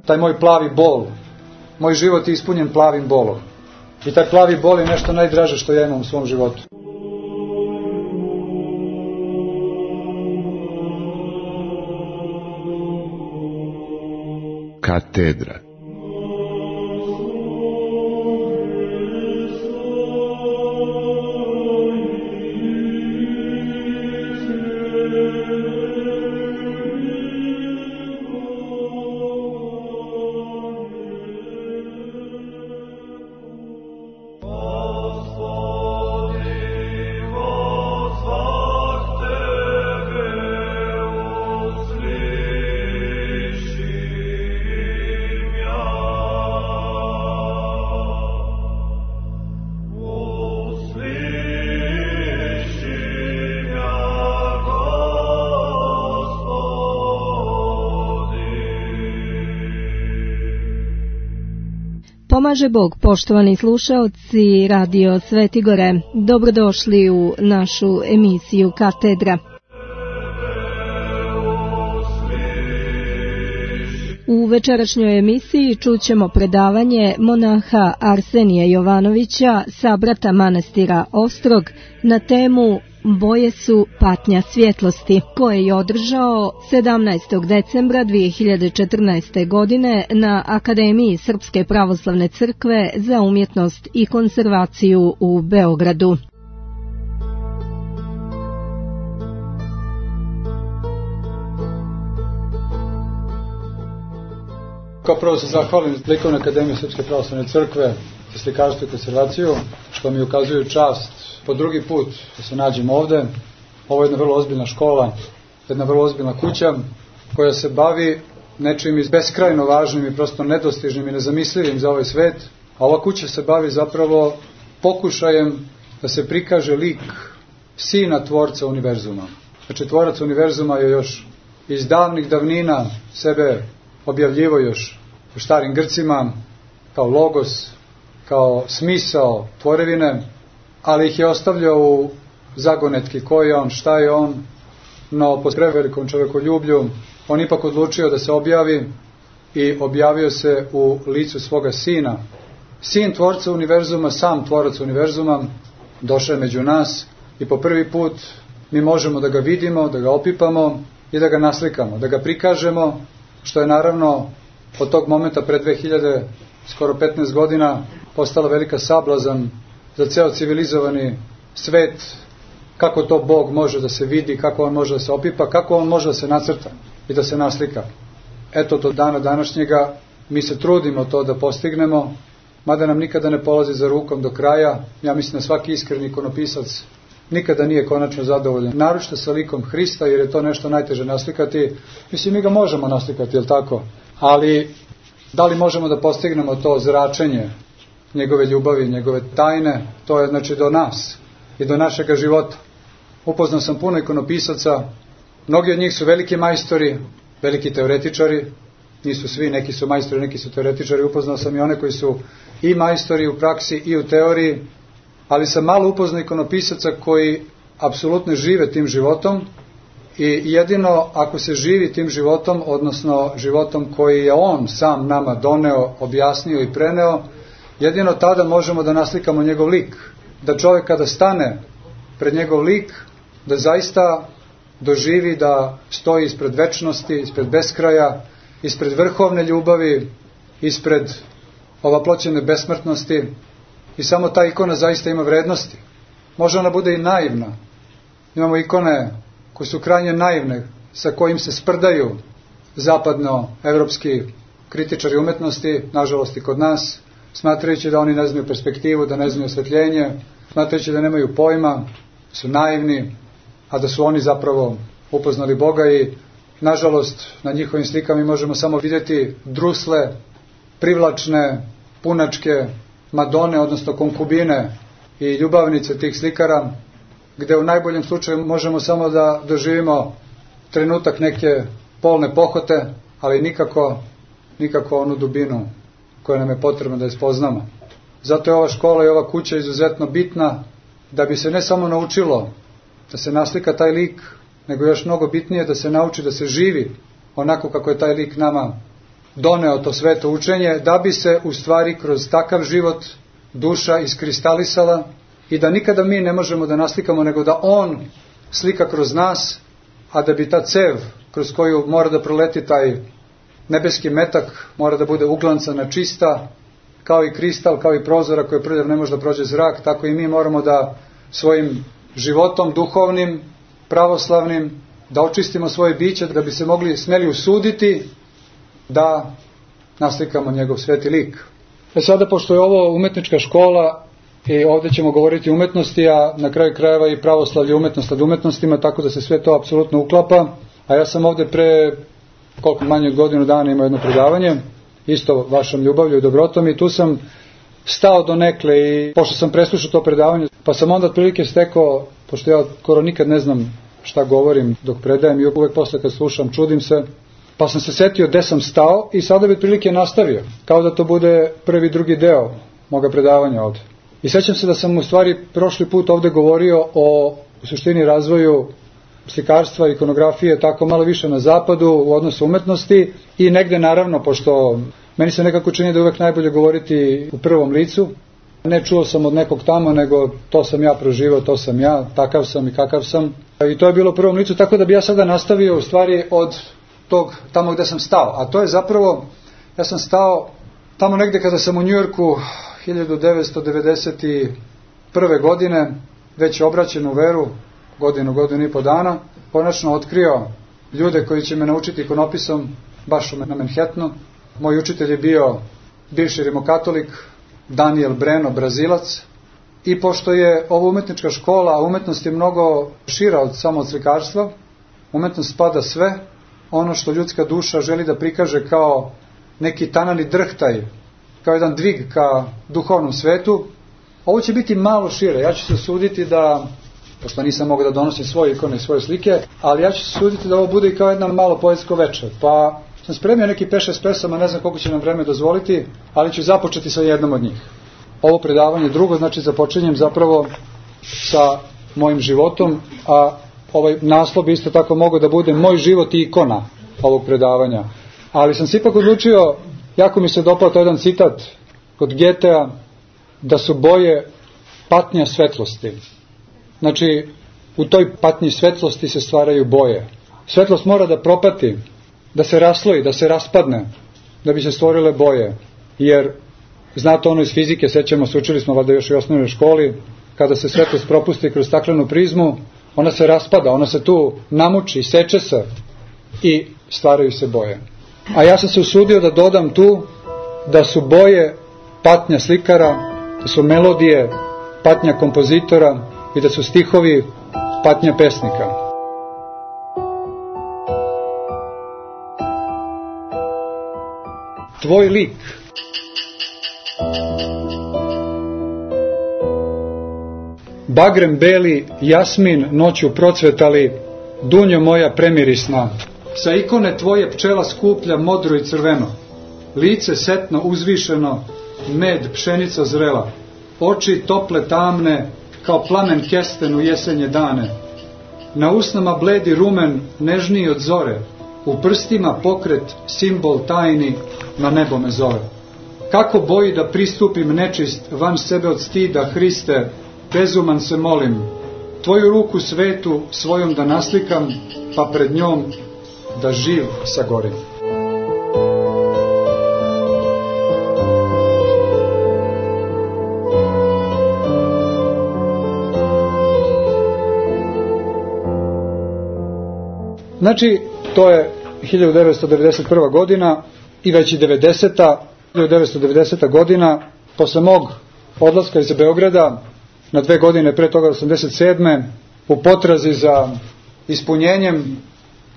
taj moj plavi bol. Moj život je ispunjen plavim bolom. I taj plavi bol je nešto najdraže što ja imam u svom životu. Katedra. Pomaže Bog, poštovani slušaoci Radio Svetigore, dobrodošli u našu emisiju Katedra. U večerašnjoj emisiji čućemo predavanje monaha Arsenija Jovanovića, sabrata manastira Ostrog, na temu Boje su patnja svjetlosti, koje je održao 17. decembra 2014. godine na Akademiji Srpske pravoslavne crkve za umjetnost i konzervaciju u Beogradu. Kao prvo se zahvalim Likovnoj akademiji Srpske pravoslavne crkve za slikarstvo i konzervaciju, što mi ukazuju čast po drugi put da se nađem ovde. Ovo je jedna vrlo ozbiljna škola, jedna vrlo ozbiljna kuća koja se bavi nečim iz beskrajno važnim i prosto nedostižnim i nezamislivim za ovaj svet. A ova kuća se bavi zapravo pokušajem da se prikaže lik sina tvorca univerzuma. Znači, tvorac univerzuma je još iz davnih davnina sebe objavljivo još u starim Grcima kao logos, kao smisao tvorevine, ali ih je ostavljao u zagonetki ko je on, šta je on, no po prevelikom čovekoljublju on ipak odlučio da se objavi i objavio se u licu svoga sina. Sin tvorca univerzuma, sam tvorac univerzuma, došao je među nas i po prvi put mi možemo da ga vidimo, da ga opipamo i da ga naslikamo, da ga prikažemo, što je naravno od tog momenta pre 2000, skoro 15 godina, postala velika sablazan za ceo civilizovani svet, kako to Bog može da se vidi, kako on može da se opipa, kako on može da se nacrta i da se naslika. Eto, do dana današnjega mi se trudimo to da postignemo, mada nam nikada ne polazi za rukom do kraja. Ja mislim da svaki iskreni ikonopisac nikada nije konačno zadovoljan, naročito sa likom Hrista, jer je to nešto najteže naslikati. Mislim, mi ga možemo naslikati, je li tako? Ali da li možemo da postignemo to zračenje njegove ljubavi, njegove tajne, to je znači do nas i do našega života. Upoznao sam puno ikonopisaca, mnogi od njih su veliki majstori, veliki teoretičari, nisu svi, neki su majstori, neki su teoretičari. Upoznao sam i one koji su i majstori u praksi i u teoriji, ali sam malo upoznao ikonopisaca koji apsolutno žive tim životom i jedino ako se živi tim životom, odnosno životom koji je on sam nama doneo, objasnio i preneo, jedino tada možemo da naslikamo njegov lik. Da čovjek kada stane pred njegov lik, da zaista doživi da stoji ispred večnosti, ispred beskraja, ispred vrhovne ljubavi, ispred ovaploćene besmrtnosti, i samo ta ikona zaista ima vrednosti. Može ona bude i naivna. Imamo ikone koje su krajnje naivne, sa kojim se sprdaju zapadno-evropski kritičari umetnosti, nažalost i kod nas, smatrajući da oni ne znaju perspektivu, da ne znaju osvetljenje, smatrajući da nemaju pojma, su naivni, a da su oni zapravo upoznali Boga. I nažalost na njihovim slikama mi možemo samo vidjeti drusle, privlačne, punačke Madone, odnosno konkubine i ljubavnice tih slikara, gde u najboljem slučaju možemo samo da doživimo trenutak neke polne pohote, ali nikako onu dubinu koja nam je potrebno da je spoznamo. Zato je ova škola i ova kuća izuzetno bitna, da bi se ne samo naučilo da se naslika taj lik, nego još mnogo bitnije da se nauči da se živi onako kako je taj lik nama doneo to sveto učenje, da bi se u stvari kroz takav život duša iskristalisala i da nikada mi ne možemo da naslikamo, nego da on slika kroz nas, a da bi ta cev kroz koju mora da proleti taj nebeski metak mora da bude uglancana, čista, kao i kristal, kao i prozora koje prljav ne može da prođe zrak, tako i mi moramo da svojim životom duhovnim, pravoslavnim, da očistimo svoje biće, da bi se smeli usuditi da naslikamo njegov sveti lik. Sada, pošto je ovo umetnička škola i ovdje ćemo govoriti o umetnosti, a na kraju krajeva i pravoslavlje umetnost nad umetnostima, tako da se sve to apsolutno uklapa, a ja sam ovdje pre koliko manje od godinu dana imao jedno predavanje, isto vašom ljubavlju i dobrotom, i tu sam stao donekle i pošto sam preslušao to predavanje, pa sam onda otprilike stekao, pošto ja skoro nikad ne znam šta govorim dok predajem i uvek posle kad slušam čudim se, pa sam se setio gde sam stao i sada bi otprilike nastavio, kao da to bude prvi, drugi deo moga predavanja ovde. I sećam se da sam u stvari prošli put ovde govorio o u suštini razvoju slikarstva, ikonografije, tako malo više na zapadu u odnosu umetnosti i negde naravno, pošto meni se nekako čini da je uvek najbolje govoriti u prvom licu, ne čuo sam od nekog tamo, nego to sam ja proživao, to sam ja, takav sam i kakav sam. I to je bilo u prvom licu, tako da bi ja sada nastavio u stvari od tog tamo gde sam stao. A to je zapravo, ja sam stao tamo negde kada sam u Njujorku 1991. godine, već obraćen u veru, godinu i po dana, konačno otkrio ljude koji će me naučiti ikonopisom baš na Manhattanu. Moj učitelj je bio bivši rimokatolik Daniel Breno, Brazilac, i pošto je ovo umetnička škola, a umetnost je mnogo šira od samo od slikarstva, umetnost spada sve, ono što ljudska duša želi da prikaže kao neki tanani drhtaj, kao jedan dvig ka duhovnom svetu, ovo će biti malo šire. Ja ću se suditi da, pošto nisam mogao da donosim svoje ikone i svoje slike, ali ja ću se suditi da ovo bude i kao jedna malo poetsko večer. Pa sam spremio neki 5-6 pesama, ne znam koliko će nam vreme dozvoliti, ali ću započeti sa jednom od njih. Ovo predavanje drugo, znači započinjem zapravo sa mojim životom, a ovaj naslov bi isto tako mogao da bude Moj život i ikona ovog predavanja. Ali sam se ipak odlučio, jako mi se dopao to jedan citat kod Goethea, da su boje patnja svetlosti. Znači, u toj patnji svetlosti se stvaraju boje. Svetlost mora da propati, da se rasloji, da se raspadne, da bi se stvorile boje. Jer, znate ono iz fizike, sećamo se, učili smo valjda još i u osnovnoj školi, kada se svetlost propusti kroz staklenu prizmu, ona se raspada, ona se tu namuči, seče se i stvaraju se boje. A ja sam se usudio da dodam tu da su boje patnja slikara, da su melodije patnja kompozitora i da su stihovi patnja pesnika. Tvoj lik. Bagrem beli, jasmin noću procvetali, dunjo moja premirisna. Sa ikone tvoje pčela skuplja modro i crveno, lice setno uzvišeno, med pšenica zrela, oči tople tamne, kao plamen kesten u jesenje dane. Na usnama bledi rumen, nežniji od zore, u prstima pokret, simbol tajni, na nebo me zove. Kako boji da pristupim nečist, van sebe od stida, Hriste, bezuman se molim, tvoju ruku svetu svojom da naslikam, pa pred njom da živ sagorim. Znači, to je 1991. godina i već i 1990. godina, posle mog odlaska iz Beograda, na 2 godine pre toga 87. u potrazi za ispunjenjem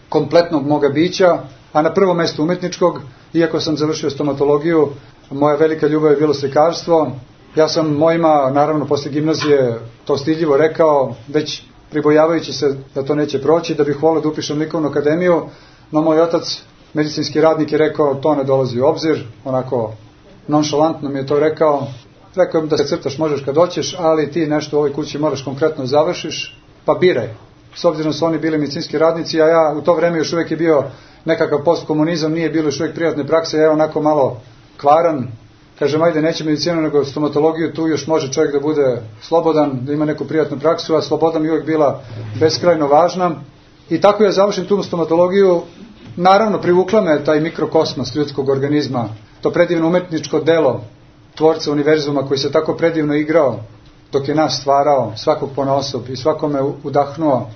kompletnog moga bića, a na prvom mestu umetničkog, iako sam završio stomatologiju, moja velika ljubav je bilo slikarstvo. Ja sam mojima, naravno posle gimnazije, to stidljivo rekao, već pribojavajući se da to neće proći, da bih volio da upišem likovnu akademiju, no moj otac, medicinski radnik, je rekao to ne dolazi u obzir, onako nonšalantno mi je to rekao. Rekao im da se crtaš možeš kad hoćeš, ali ti nešto u ovoj kući moraš konkretno završiš, pa biraj. s obzirom da su oni bili medicinski radnici, a ja u to vreme još uvijek je bio nekakav postkomunizam, nije bilo još uvijek privatne prakse, ja onako malo kvaran, kažem, ajde, neće medicinu nego stomatologiju, tu još može čovjek da bude slobodan, da ima neku privatnu praksu, a sloboda mi uvijek bila beskrajno važna. I tako ja završim tu stomatologiju. Naravno, privukla me taj mikrokosmos ljudskog organizma, to predivno umetničko delo tvorca univerzuma koji se tako predivno igrao dok je nas stvarao, svakog ponaosob i svakome udahnuo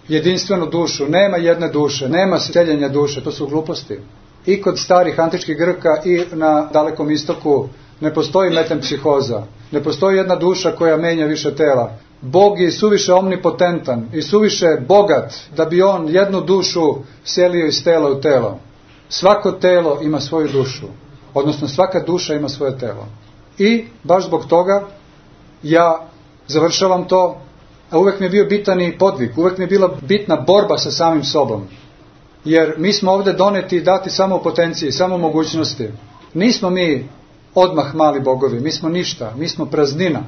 jedinstvenu dušu. Nema jedne duše, nema seljenja duše, to su gluposti. I kod starih antičkih Grka i na Dalekom istoku ne postoji metempsihoza, ne postoji jedna duša koja menja više tela. Bog je suviše omnipotentan i suviše bogat da bi on jednu dušu selio iz tela u telo. Svako telo ima svoju dušu, odnosno svaka duša ima svoje telo. I baš zbog toga ja završavam to, a uvek mi je bio bitan i podvig, uvek mi je bila bitna borba sa samim sobom. Jer mi smo ovde doneti i dati samo u potenciji, samo u mogućnosti. Nismo mi odmah mali bogovi, mi smo ništa, mi smo praznina.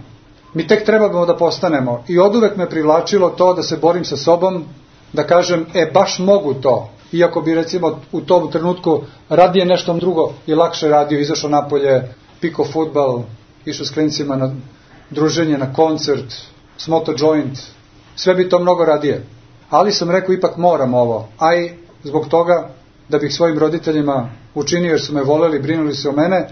Mi tek trebamo da postanemo. I oduvek me privlačilo to da se borim sa sobom, da kažem, baš mogu to. Iako bi recimo u tom trenutku radije nešto drugo i lakše radio, izašao napolje, pikao fudbal, išao s klincima na druženje, na koncert, smoto joint, sve bi to mnogo radije. Ali sam rekao, ipak moram ovo, a i zbog toga da bih svojim roditeljima učinio, jer su me voleli, brinuli se o mene,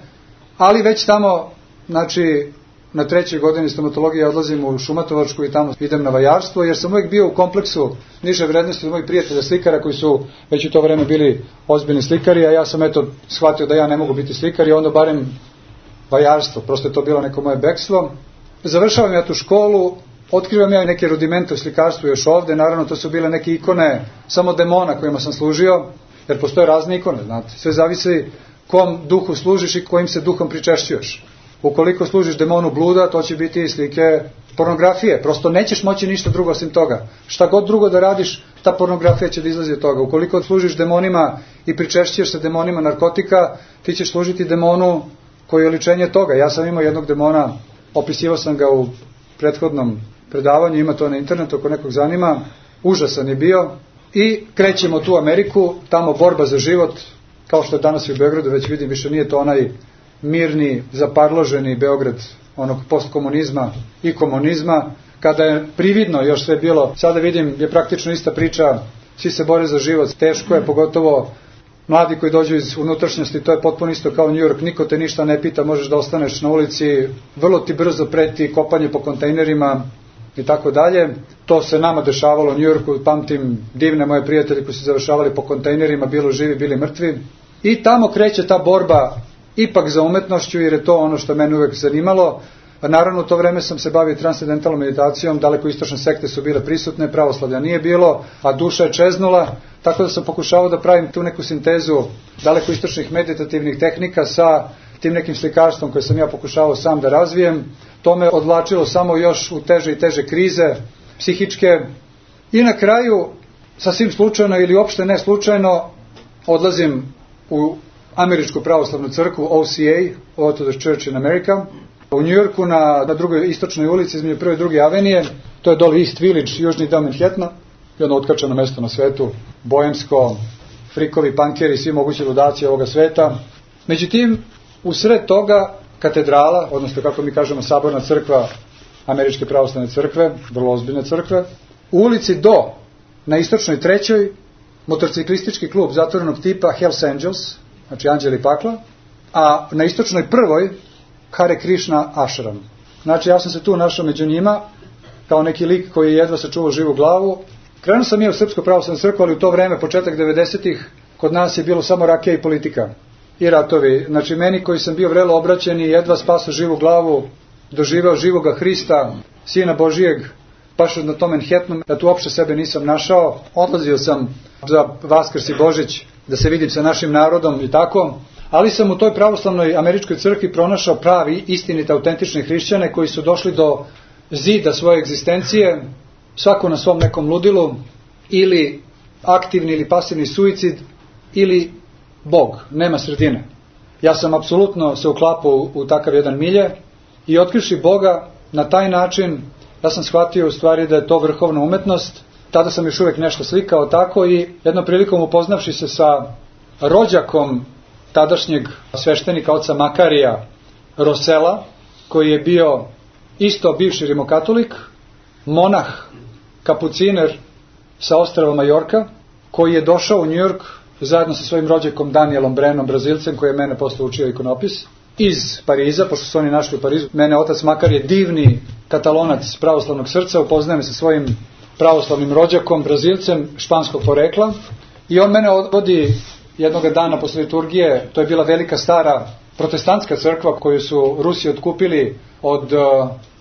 ali već tamo, znači, na 3. godini stomatologije odlazim u Šumatovačku i tamo idem na vajarstvo, jer sam uvijek bio u kompleksu niže vrednosti od mojih prijatelja slikara koji su već u to vreme bili ozbiljni slikari, a ja sam shvatio da ja ne mogu biti slikar i onda barem vajarstvo, prosto je to bilo neko moje bekstvo. Završavam ja tu školu, otkrivam ja neke rudimente u slikarstvu još ovde, naravno to su bile neke ikone samo demona kojima sam služio, jer postoje razne ikone, znate, sve zavisi kom duhu služiš i kojim se duhom pričešćuješ. Ukoliko služiš demonu bluda, to će biti slike pornografije, prosto nećeš moći ništa drugo osim toga. Šta god drugo da radiš, ta pornografija će da izlazi od toga. Ukoliko služiš demonima i pričešćuješ se demonima narkotika, ti ćeš služiti demonu koji je oličenje toga. Ja sam imao jednog demona, opisivao sam ga u prethodnom predavanju, ima to na internetu ako nekog zanima, užasan je bio i krećemo tu u Ameriku, tamo borba za život, kao što je danas i u Beogradu, već vidim, više nije to onaj mirni, zaparloženi Beograd onog postkomunizma i komunizma, kada je prividno još sve bilo, sada vidim je praktično ista priča, svi se bore za život, teško je, pogotovo mladi koji dođu iz unutrašnjosti, to je potpuno isto kao New York, niko te ništa ne pita, možeš da ostaneš na ulici, vrlo ti brzo preti kopanje po kontejnerima i tako dalje. To se nama dešavalo u New Yorku, pamtim divne moje prijatelji koji su završavali po kontejnerima, bilo živi, bili mrtvi. I tamo kreće ta borba ipak za umetnošću, jer je to ono što mene uvek zanimalo. Naravno, u to vreme sam se bavio transcendentalnom meditacijom, daleko istočne sekte su bile prisutne, pravoslavlja nije bilo, a duša je čeznula, tako da sam pokušavao da pravim tu neku sintezu daleko istočnih meditativnih tehnika sa tim nekim slikarstvom koje sam ja pokušavao sam da razvijem. To me odvlačilo samo još u teže i teže krize psihičke. I na kraju, sasvim slučajno ili uopšte ne slučajno, odlazim u Američku pravoslavnu crkvu, OCA, Orthodox Church in America, u New Yorku na drugoj istočnoj ulici između 1. i 2. avenije, to je dole East Village, južni deo Manhattana, jedno otkačeno mesto na svetu, bojemsko, frikovi, pankeri, svi mogući ludaci ovoga sveta. Međutim, u sred toga katedrala, odnosno kako mi kažemo saborna crkva Američke pravoslavne crkve, vrlo ozbiljne crkve, u ulici do, na istočnoj 3. motorciklistički klub zatvorenog tipa Hells Angels, znači Anđeli pakla, a na istočnoj 1. Hare Krishna Ashram. Znači ja sam se tu našao među njima kao neki lik koji je jedva sačuvao živu glavu. Krenuo sam ja u Srpsku pravoslavnu crkvu, ali u to vreme, početak 90-ih, kod nas je bilo samo rakija i politika i ratovi. Znači meni koji sam bio vrelo obraćen i jedva spasao živu glavu, doživeo živoga Hrista, Sina Božijeg, baš na tom Manhattanu, da tu uopšte sebe nisam našao. Odlazio sam za Vaskrs i Božić da se vidim sa našim narodom i tako, ali sam u toj pravoslavnoj američkoj crkvi pronašao pravi, istinite, autentične hrišćane koji su došli do zida svoje egzistencije, svako na svom nekom ludilu, ili aktivni ili pasivni suicid, ili Bog, nema sredine. Ja sam apsolutno se uklapao u takav jedan milje i otkrivši Boga na taj način, ja sam shvatio u stvari da je to vrhovna umetnost, tada sam još uvijek nešto slikao tako i jednom prilikom upoznavši se sa rođakom tadašnjeg sveštenika oca Makarija Rosela, koji je bio isto bivši rimokatolik, monah, kapuciner sa ostrava Majorka, koji je došao u New York zajedno sa svojim rođakom Danielom Brenom, Brazilcem, koji je mene posle učio ikonopis, iz Pariza, pošto su oni našli u Parizu. Mene otac Makar je divni katalonac pravoslavnog srca, upoznajem sa svojim pravoslavnim rođakom, Brazilcem, španskog porekla, i on mene odvodi jednog dana posle liturgije. To je bila velika stara protestantska crkva koju su Rusi otkupili od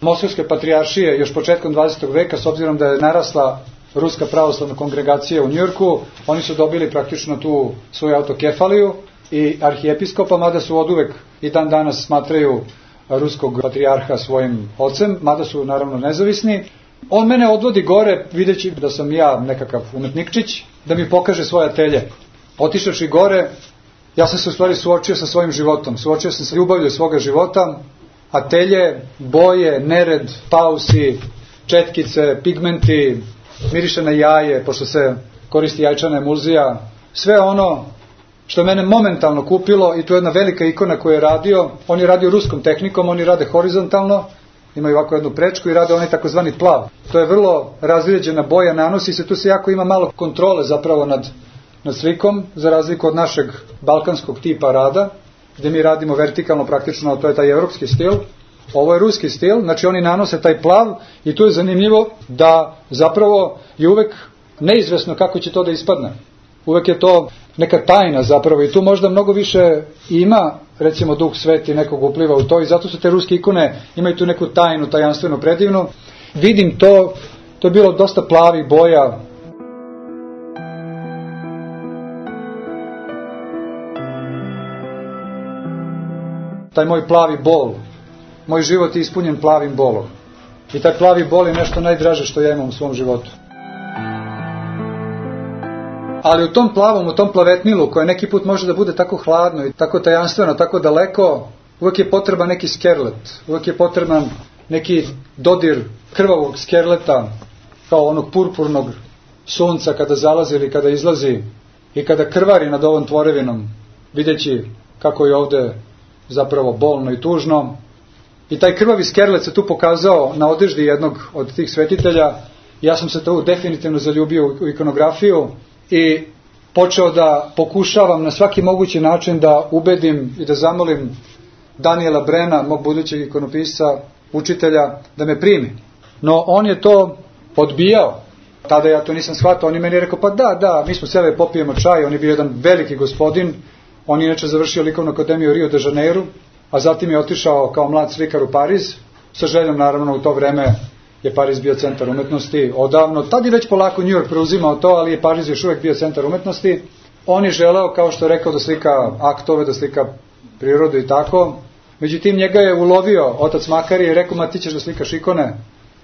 Moskovske patrijaršije još početkom 20. veka, s obzirom da je narasla ruska pravoslavna kongregacija u Njujorku. Oni su dobili praktično tu svoju autokefaliju i arhijepiskopa, mada su oduvek i dan danas smatraju ruskog patrijarha svojim ocem, mada su naravno nezavisni. On mene odvodi gore, videći da sam ja nekakav umetnikčić, da mi pokaže svoje atelje. Otišavši gore, ja sam se u stvari suočio sa svojim životom, suočio sam sa ljubavlju svoga života, atelje, boje, nered, pausi, četkice, pigmenti, miriše na jaje, pošto se koristi jajčana emulzija, sve ono što mene momentalno kupilo. I tu je jedna velika ikona koju je radio. On je radio ruskom tehnikom, oni rade horizontalno, imaju ovako jednu prečku i rade onaj takozvani plav. To je vrlo razređena boja, nanosi se, tu se jako ima malo kontrole zapravo nad slikom, za razliku od našeg balkanskog tipa rada, gdje mi radimo vertikalno praktično, to je taj evropski stil. Ovo je ruski stil, znači oni nanose taj plav i tu je zanimljivo da zapravo je uvek neizvesno kako će to da ispadne. Uvek je to neka tajna zapravo i tu možda mnogo više ima, recimo Duh Sveti nekog upliva u to, i zato su te ruske ikone, imaju tu neku tajnu, tajanstvenu, predivnu. Vidim to je bilo dosta plavih boja. Taj moj plavi bol, moj život je ispunjen plavim bolom. I taj plavi bol je nešto najdraže što ja imam u svom životu. Ali u tom plavom, u tom plavetnilu, koje neki put može da bude tako hladno i tako tajanstveno, tako daleko, uvijek je potreban neki skerlet, uvijek je potreban neki dodir krvavog skerleta, kao onog purpurnog sunca kada zalazi ili kada izlazi i kada krvari nad ovom tvorevinom, videći kako je ovde zapravo bolno i tužno. I taj krvavi skerlet se tu pokazao na odeždi jednog od tih svetitelja. Ja sam se tu definitivno zaljubio u ikonografiju i počeo da pokušavam na svaki mogući način da ubedim i da zamolim Daniela Brena, mog budućeg ikonopisca, učitelja, da me primi. No on je to odbijao. Tada ja to nisam shvatao. On je meni rekao, pa da, mi smo seli popijemo čaj. On je bio jedan veliki gospodin. On je inače završio likovnu akademiju u Rio de Janeiru, a zatim je otišao kao mlad slikar u Pariz, sa željom naravno u to vreme je Pariz bio centar umetnosti odavno. Tad je već polako New York preuzimao to, ali je Pariz još uvijek bio centar umetnosti. On je želeo, kao što je rekao, da slika aktove, da slika prirodu i tako. Međutim, njega je ulovio otac Makarije i rekao, ma ti ćeš da slikaš ikone.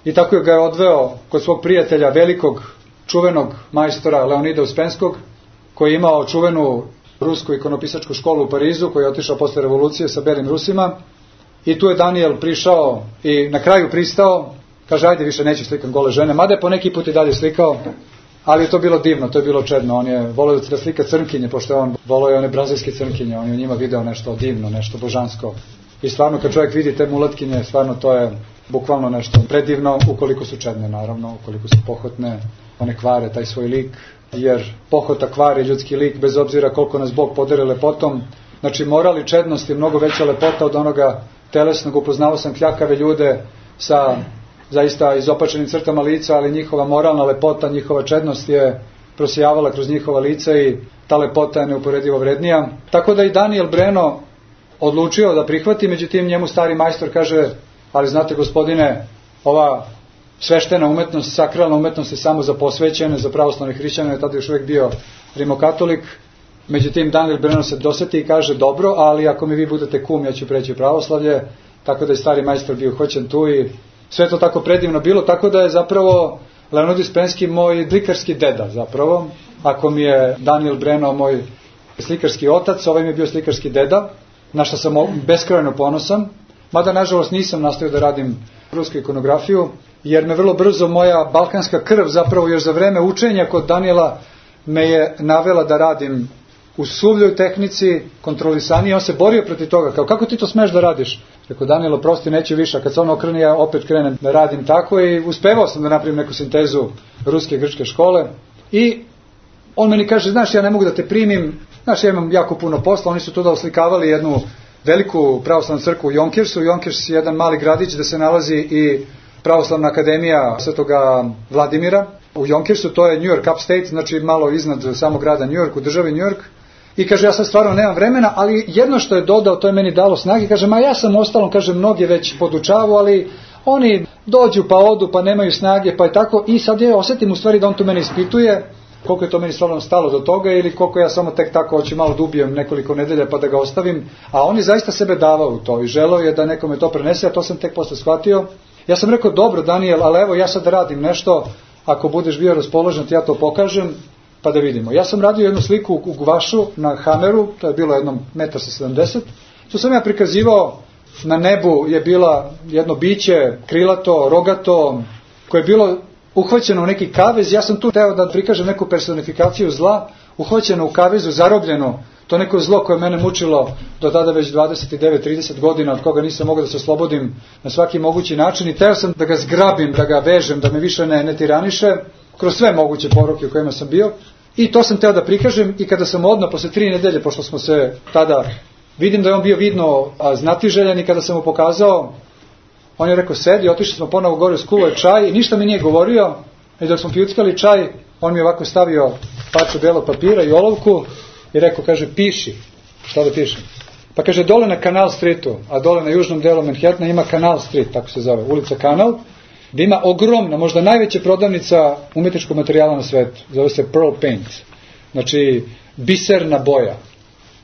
I tako ga je odveo kod svog prijatelja, velikog, čuvenog majstora Leonida Uspenskog, koji je imao čuvenu rusku ikonopisačku školu u Parizu, koji je otišao posle revolucije sa belim Rusima. I tu je Daniel prišao i na kraju pristao. Kaže, ajde, više neću slikam gole žene. Mada je po neki put i dalje slikao, ali je to bilo divno, to je bilo čedno. On je volio da slika crnkinje, pošto je on volio one brazilske crnkinje. On je u njima video nešto divno, nešto božansko. I stvarno, kad čovjek vidi te mulatkinje, stvarno to je bukvalno nešto predivno, ukoliko su čedne, naravno, ukoliko su pohotne, one kvare taj svoj lik, jer pohota kvari ljudski lik, bez obzira koliko nas Bog podere lepotom. Znači, moral i čednost je mnogo veća lepota od onoga telesnog. Upoznao sam kljakave ljude sa zaista izopačenim crtama lica, ali njihova moralna lepota, njihova čednost je prosijavala kroz njihova lica i ta lepota je neuporedivo vrednija. Tako da i Daniel Breno odlučio da prihvati, međutim njemu stari majstor kaže, ali znate gospodine, ova sveštena umetnost, sakralna umetnost je samo za posvećene, za pravoslavne hrišćane, tada još uvijek bio rimokatolik. Međutim, Daniel Breno se doseti i kaže, dobro, ali ako mi vi budete kum, ja ću preći u pravoslavlje. Tako da je stari majstor bio hoćen tu i sve to tako predivno bilo, tako da je zapravo Leonid Uspenski moj slikarski deda zapravo. Ako mi je Daniel Breno moj slikarski otac, ovaj mi je bio slikarski deda, na što sam beskrajno ponosan. mada nažalost nisam nastavio da radim rusku ikonografiju, jer me vrlo brzo moja balkanska krv, zapravo još za vreme učenja kod Danijela, me je navela da radim u suvljoj tehnici, kontrolisaniji. On se borio protiv toga, kao kako ti to smeš da radiš? Rekao, Danijelo, prosti, neću više, kad se on okrene, ja opet krenem da radim tako i uspevao sam da napravim neku sintezu ruske i grčke škole. I on meni kaže, znaš, ja ne mogu da te primim, znaš, ja imam jako puno posla. Oni su tu da oslikavali jednu veliku pravoslavnu crkvu u Jonkirsu. Jonkirs je jedan mali gradić gde se nalazi i pravoslavna akademija Svetoga Vladimira. U Jonkirsu, to je New York upstate, znači malo iznad samog grada New York, u državi New York. I kaže, ja sad stvarno nemam vremena, ali jedno što je dodao, to je meni dalo snage. Kaže, ja sam ostalom, kaže, mnogi već podučavu, ali oni dođu pa odu, pa nemaju snage, pa je tako. I sad ja osetim u stvari da on tu mene ispituje, koliko je to meni stvarno stalo do toga, ili koliko ja samo tek tako hoću malo da ubijem nekoliko nedelja pa da ga ostavim. A on je zaista sebe davao u to i želeo je da nekome to prenese, a to sam tek posle shvatio. Ja sam rekao, dobro Danijel, ali evo ja sad radim nešto, ako budeš bio raspoložen, ja to pokažem, pa da vidimo. Ja sam radio jednu sliku u guvašu na Hameru, to je bilo jedno 1,70 m. Tu sam ja prikazivao, na nebu je bila jedno biće, krilato, rogato, koje je bilo uhvaćeno u neki kavez. Ja sam tu teo da prikažem neku personifikaciju zla, uhvaćeno u kavezu, zarobljeno. To neko zlo koje mene mučilo do tada već 29-30 godina, od koga nisam mogao da se oslobodim na svaki mogući način. I teo sam da ga zgrabim, da ga vežem, da me više ne tiraniše, kroz sve moguće poruke u kojima sam bio. I to sam teo da prikažem i kada sam odmah, posle 3 nedelje, pošto smo se tada, vidim da je on bio vidno znatiželjan, i kada sam mu pokazao, on je rekao, sedi, otišli smo ponovo gore, skuvao je čaj i ništa mi nije govorio. I dok smo pijuckali čaj, on mi je ovako stavio parču belog papira i olovku i rekao, kaže, piši. Šta da pišem? Pa kaže, dole na Canal Streetu, a dole na južnom delu Manhattana ima Canal Street, tako se zove, ulica Kanal, gde ima ogromna, možda najveća prodavnica umetničkog materijala na svetu. Zove se Pearl Paint. Znači, biserna boja,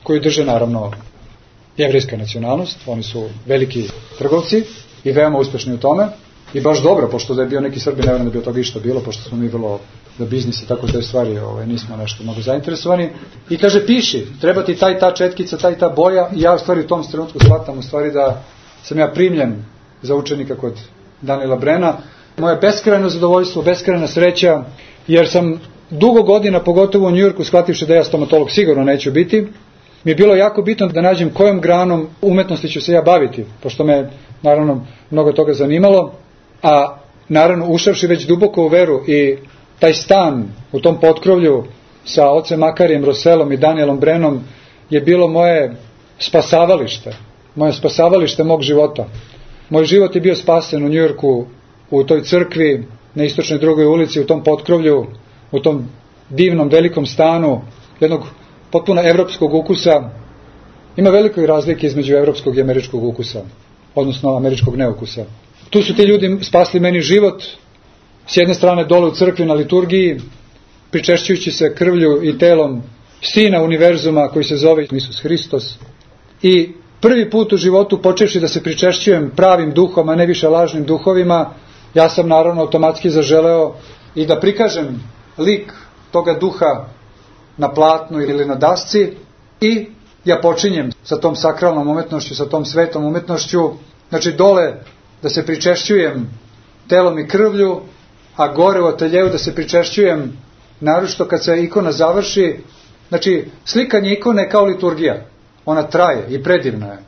koju drže naravno jevrejska nacionalnost. Oni su veliki trgovci i veoma uspešni u tome. I baš dobro, pošto da je bio neki Srbin, ne vjerujem da bi od toga išta bilo, pošto smo mi vrlo za biznis i tako te stvari nismo nešto mnogo zainteresovani. I kaže, piši, treba ti ta četkica, ta boja. I ja u stvari u tom trenutku shvatam u stvari da sam ja primljen za učenika kod Danijela Brena. Moje beskrajno zadovoljstvo, beskrajna sreća, jer sam dugo godina, pogotovo u Njujorku, shvativši da ja stomatolog sigurno neću biti, mi je bilo jako bitno da nađem kojom granom umetnosti ću se ja baviti, pošto me naravno mnogo toga zanimalo, a naravno ušavši već duboko u veru i taj stan u tom potkrovlju sa ocem Makarijem Roselom i Danielom Brenom je bilo moje spasavalište mog života. Moj život je bio spasen u Njujorku, u toj crkvi, na istočnoj drugoj ulici, u tom potkrovlju, u tom divnom velikom stanu, jednog potpuno evropskog ukusa. Ima velikoj razlike između evropskog i američkog ukusa, odnosno američkog neukusa. Tu su ti ljudi spasli meni život, s jedne strane dole u crkvi na liturgiji, pričešćujući se krvlju i telom Sina univerzuma koji se zove Isus Hristos. I prvi put u životu, počevši da se pričešćujem pravim duhom, a ne više lažnim duhovima, ja sam naravno automatski zaželeo i da prikažem lik toga duha na platnu ili na dasci, i ja počinjem sa tom sakralnom umetnošću, sa tom svetom umetnošću, znači dole da se pričešćujem telom i krvlju, a gore u ateljevu da se pričešćujem naročito kad se ikona završi. Znači, slikanje ikone je kao liturgija. Ona traje i predivna je.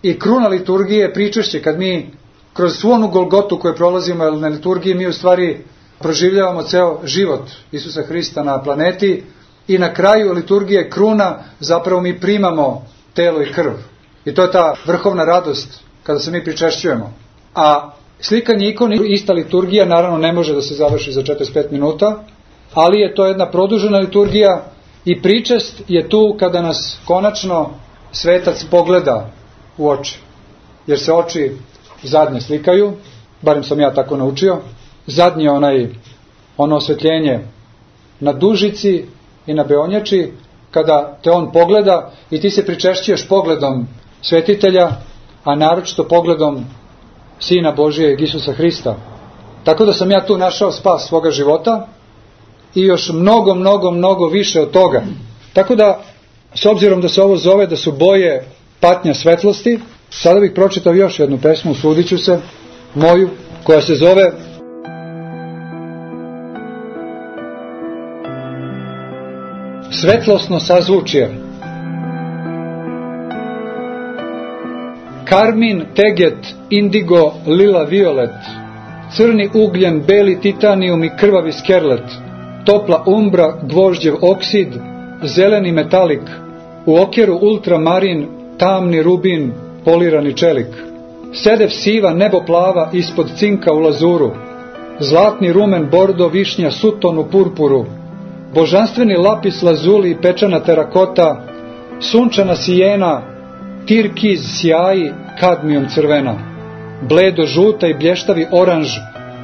I kruna liturgije je pričešće, kad mi kroz svu onu Golgotu koju prolazimo na liturgiji, mi u stvari proživljavamo ceo život Isusa Hrista na planeti, i na kraju liturgije kruna zapravo mi primamo telo i krv. I to je ta vrhovna radost kada se mi pričešćujemo. A slikanje ikone, ista liturgija, naravno ne može da se završi za 45 minuta, ali je to jedna produžena liturgija i pričest je tu kada nas konačno svetac pogleda u oči. Jer se oči zadnje slikaju, barem sam ja tako naučio, zadnje ono osvetljenje na dužici i na beonjači, kada te on pogleda i ti se pričešćuješ pogledom svetitelja, a naročito pogledom Sina Božijeg Isusa Hrista. Tako da sam ja tu našao spas svoga života i još mnogo više od toga. Tako da, s obzirom da se ovo zove da su boje patnja svetlosti, Sada bih pročitao još jednu pesmu, usudit ću se, moju, koja se zove Svetlosno sazvučje. Karmin, teget, indigo, lila, violet, crni ugljen, beli titanijum i krvavi skerlet, topla umbra, gvožđev oksid, zeleni metalik, u okjeru ultramarin, tamni rubin, polirani čelik, sedev siva, nebo plava, ispod cinka u lazuru, zlatni rumen, bordo, višnja, suton u purpuru, božanstveni lapis lazuli i pečana terakota, sunčana sijena, tirkiz sjaji, kadmijum crvena, bledo žuta i blještavi oranž,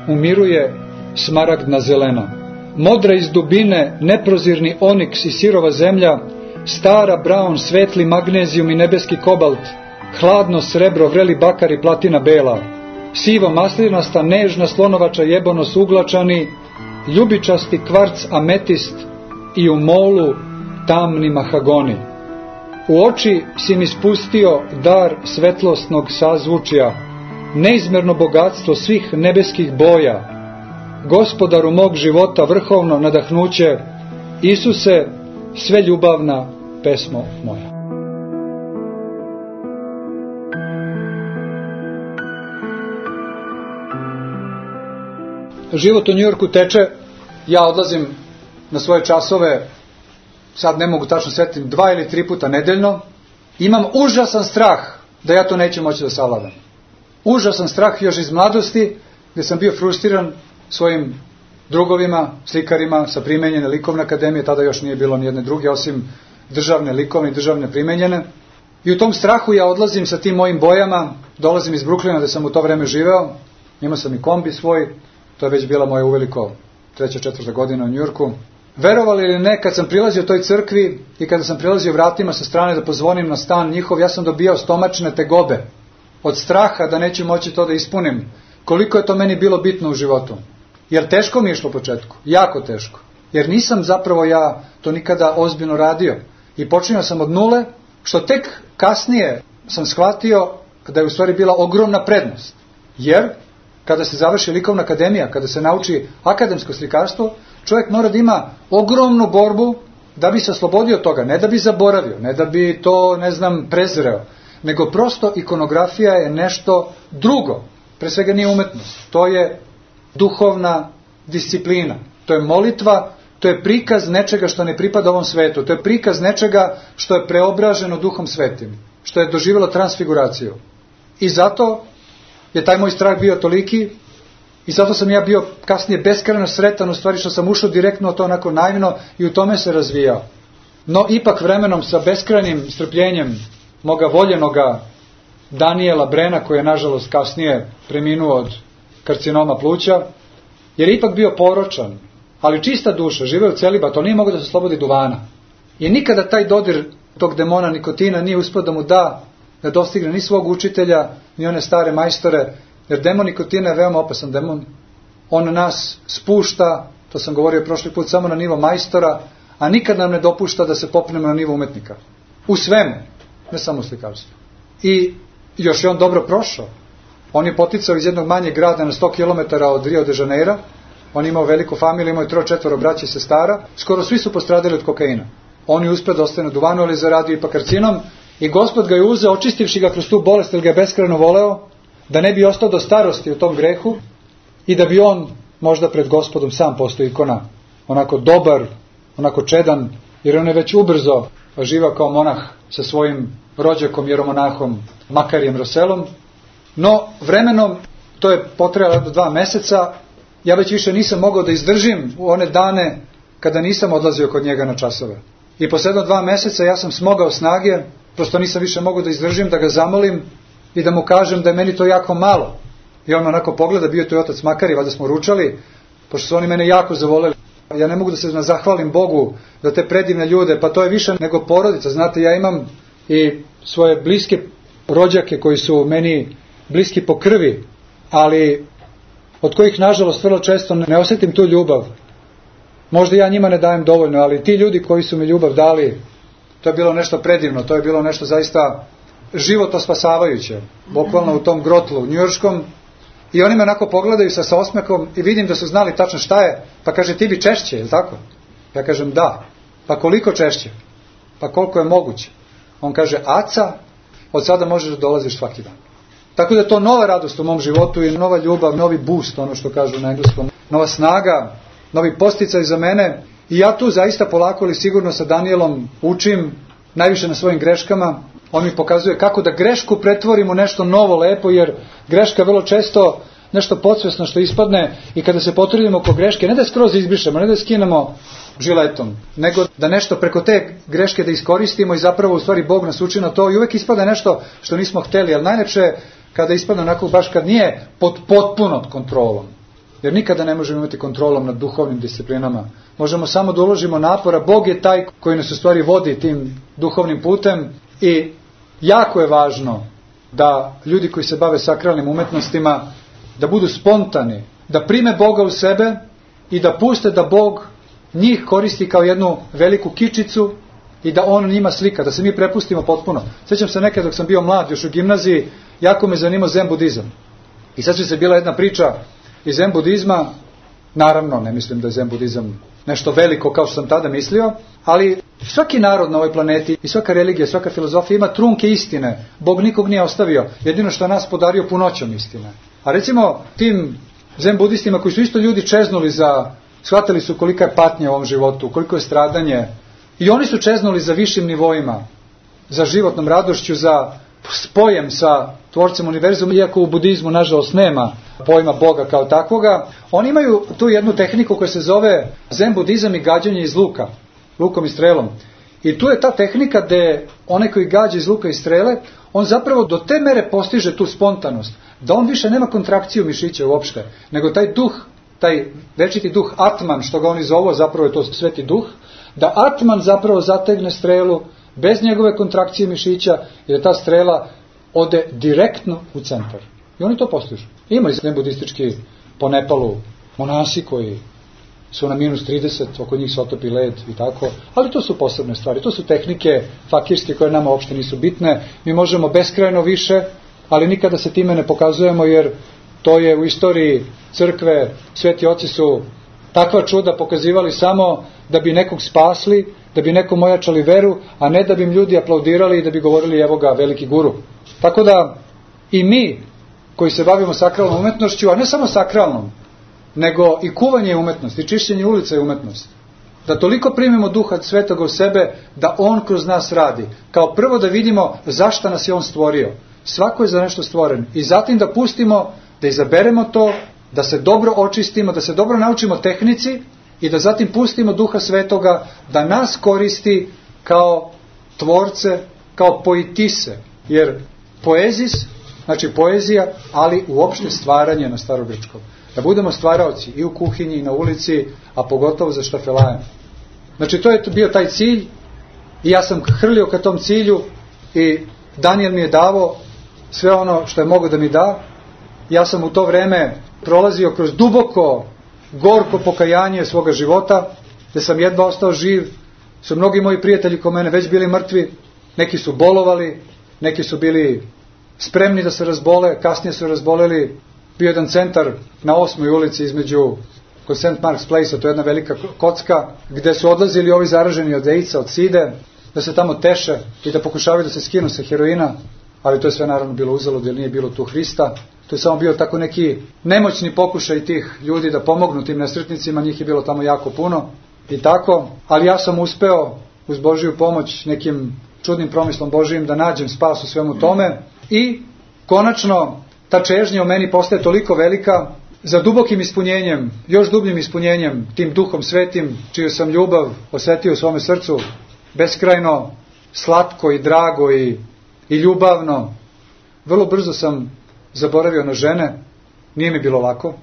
umiruje smaragdna zelena, modra iz dubine, neprozirni oniks i sirova zemlja, stara braun, svetli magnezijum i nebeski kobalt, hladno srebro, vreli bakar i platina bela, sivo maslinasta, nežna slonovača jebonos uglačani, ljubičasti kvarc ametist i u molu tamni mahagoni. U oči si mi spustio dar svetlosnog sazvučja, neizmerno bogatstvo svih nebeskih boja, gospodaru mog života vrhovno nadahnuće, Isuse, sve ljubavna pesmo moja. Život u Njujorku teče, ja odlazim na svoje časove, sad ne mogu tačno setiti, 2 ili 3 puta nedeljno. Imam užasan strah da ja to neću moći da savladam. Užasan strah još iz mladosti, gdje sam bio frustriran svojim drugovima, slikarima sa primenjene likovne akademije, tada još nije bilo nijedne druge, osim državne likovne i državne primenjene. I u tom strahu ja odlazim sa tim mojim bojama, dolazim iz Brooklyna gdje sam u to vreme živeo, imao sam i kombi svoj, to je već bila moja uveliko 3. 4. godina u Njujorku. Verovali ili ne, kad sam prilazio toj crkvi i kada sam prilazio vratima sa strane da pozvonim na stan njihov, ja sam dobijao stomačne tegobe od straha da neću moći to da ispunim. Koliko je to meni bilo bitno u životu. Jer teško mi je išlo u početku, jako teško. Jer nisam zapravo ja to nikada ozbiljno radio. I počinio sam od nule, što tek kasnije sam shvatio da je u stvari bila ogromna prednost. Jer kada se završi likovna akademija, kada se nauči akademsko slikarstvo, čovjek mora da ima ogromnu borbu da bi se oslobodio toga, ne da bi zaboravio, ne da bi to, prezreo, nego prosto ikonografija je nešto drugo. Pre svega nije umetnost, to je duhovna disciplina, to je molitva, to je prikaz nečega što ne pripada ovom svetu, to je prikaz nečega što je preobraženo Duhom Svetim, što je doživjelo transfiguraciju. I zato je taj moj strah bio toliki i zato sam ja bio kasnije beskrajno sretan, u stvari što sam ušao direktno to onako naivno i u tome se razvijao. No ipak vremenom sa beskrajnim strpljenjem moga voljenoga Daniela Brena, koji je nažalost kasnije preminuo od karcinoma pluća, jer je ipak bio poročan, ali čista duša, živeo u celibat, on nije mogao da se slobodi duvana. I nikada taj dodir tog demona nikotina nije uspio da mu da dostigne ni svog učitelja, ni one stare majstore, jer demon nikotina je veoma opasan demon. On nas spušta, to sam govorio prošli put, samo na nivo majstora, a nikad nam ne dopušta da se popnemo na nivo umetnika. U svemu, ne samo u slikarstvu. I još je on dobro prošao. On je poticao iz jednog manjeg grada na 100 km od Rio de Janeira. On je imao veliku familiju, imao je 3-4 braće i sestara. Skoro svi su postradali od kokaina. On je uspio da ostane na duvanu, ali zaradio ipak karcinom. I Gospod ga je uzeo, očistivši ga kroz tu bolest, jer ga je beskrajno voleo, da ne bi ostao do starosti u tom grehu i da bi on možda pred Gospodom sam postao ikona. Onako dobar, onako čedan, jer on je već ubrzo živao kao monah sa svojim rođakom, jeromonahom Makarijem Roselom. No, vremenom, to je potrajalo do 2 meseca, ja već više nisam mogao da izdržim u one dane kada nisam odlazio kod njega na časove. I posle 2 meseca ja sam smogao snage, prosto nisam više mogao da izdržim, da ga zamolim i da mu kažem da je meni to jako malo. I on onako pogleda, bio to i otac Makari, valjda smo ručali, pošto su oni mene jako zavoleli. Ja ne mogu da se zahvalim Bogu za te predivne ljude, pa to je više nego porodica. Znate, ja imam i svoje bliske rođake koji su meni bliski po krvi, ali od kojih nažalost vrlo često ne osjetim tu ljubav. Možda ja njima ne dajem dovoljno, ali ti ljudi koji su mi ljubav dali, to je bilo nešto predivno, to je bilo nešto zaista životospasavajuće, bukvalno u tom grotlu njujorškom, i oni me onako pogledaju sa osmehom i vidim da su znali tačno šta je, pa kaže, ti bi češće, je li tako? Ja kažem, da. Pa koliko češće? Pa koliko je moguće? On kaže, aca, od sada možeš da dolaziš svaki dan. Tako da je to nova radost u mom životu i nova ljubav, novi boost, ono što kažu na engleskom, nova snaga, novi posticaj za mene. I ja tu zaista polako ali sigurno sa Danielom učim najviše na svojim greškama. On mi pokazuje kako da grešku pretvorimo u nešto novo, lepo, jer greška vrlo često nešto podsvesno što ispadne i kada se potrudimo oko greške, ne da skroz izbrišemo, ne da skinemo žiletom, nego da nešto preko te greške da iskoristimo i zapravo u stvari Bog nas uči na to i uvek ispada nešto što nismo hteli, ali najlepše kada ispadne onako baš kad nije pod potpunom kontrolom. Jer nikada ne možemo imati kontrolom nad duhovnim disciplinama. Možemo samo da uložimo napora. Bog je taj koji nas u stvari vodi tim duhovnim putem i jako je važno da ljudi koji se bave sakralnim umetnostima da budu spontani, da prime Boga u sebe i da puste da Bog njih koristi kao jednu veliku kičicu i da on njima slika, da se mi prepustimo potpuno. Sjećam se nekad dok sam bio mlad, još u gimnaziji, jako me zanimao zen budizam. I sad se bila jedna priča iz zen budizma, naravno ne mislim da je zen budizam nešto veliko kao što sam tada mislio, ali svaki narod na ovoj planeti i svaka religija, svaka filozofija ima trunke istine. Bog nikog nije ostavio, jedino što nas podario punoćom istine. A recimo tim zen budistima koji su isto ljudi čeznuli shvatili su kolika je patnja u ovom životu, koliko je stradanje, i oni su čeznuli za višim nivoima, za životnom radošću, za spojem sa tvorcem univerzuma, iako u budizmu nažalost nema pojma Boga kao takvoga. Oni imaju tu jednu tehniku koja se zove zen budizam i gađanje iz luka, lukom i strelom. I tu je ta tehnika gde onaj koji gađa iz luka i strele, on zapravo do te mere postiže tu spontanost, da on više nema kontrakciju mišića uopšte, nego taj duh, taj večiti duh Atman, što ga oni zovu, zapravo je to sveti duh, da Atman zapravo zategne strelu bez njegove kontrakcije mišića i da ta strela ode direktno u centar. I oni to postižu. Ima i budistički po Nepalu monasi koji su na minus 30, oko njih se otopi led i tako, ali to su posebne stvari, to su tehnike fakirske koje nama uopšte nisu bitne. Mi možemo beskrajno više, ali nikada se time ne pokazujemo, jer to je u istoriji crkve, sveti oci su takva čuda pokazivali samo da bi nekog spasli, da bi nekom ojačali veru, a ne da bi im ljudi aplaudirali i da bi govorili evo ga veliki guru. Tako da i mi koji se bavimo sakralnom umetnošću, a ne samo sakralnom, nego i kuvanje je umetnost, i čišćenje ulica je umetnost. Da toliko primimo Duha Svetoga u sebe, da On kroz nas radi. Kao prvo da vidimo zašto nas je On stvorio. Svako je za nešto stvoren. I zatim da pustimo, da izaberemo to, da se dobro očistimo, da se dobro naučimo tehnici i da zatim pustimo Duha Svetoga da nas koristi kao tvorce, kao poetise. Jer poezis, znači poezija, ali uopšte stvaranje na starogrčkom. Da budemo stvaraoci i u kuhinji i na ulici, a pogotovo za štafelajem. Znači to je bio taj cilj i ja sam hrlio ka tom cilju i Daniel mi je davao sve ono što je mogao da mi da. Ja sam u to vreme prolazio kroz duboko, gorko pokajanje svoga života, gde sam jedva ostao živ, su mnogi moji prijatelji ko mene već bili mrtvi, neki su bolovali, neki su bili spremni da se razbole, kasnije su razboleli. Bio jedan centar na 8. ulici između kod St. Mark's Place, to je jedna velika kocka, gde su odlazili ovi zaraženi od AIDS-a, od side, da se tamo teše i da pokušavaju da se skinu sa heroina, ali to je sve naravno bilo uzalud, jer nije bilo tu Hrista. To je samo bio tako neki nemoćni pokušaj tih ljudi da pomognu tim nesretnicima, njih je bilo tamo jako puno i tako, ali ja sam uspeo uz Božiju pomoć nekim čudnim promislom Božijim da nađem spas u svemu tome i konačno ta čežnja u meni postaje toliko velika za dubokim ispunjenjem, još dubljim ispunjenjem, tim Duhom Svetim, čiju sam ljubav osetio u svome srcu, beskrajno slatko i drago i ljubavno. Vrlo brzo sam zaboravio na žene, nije mi bilo lako,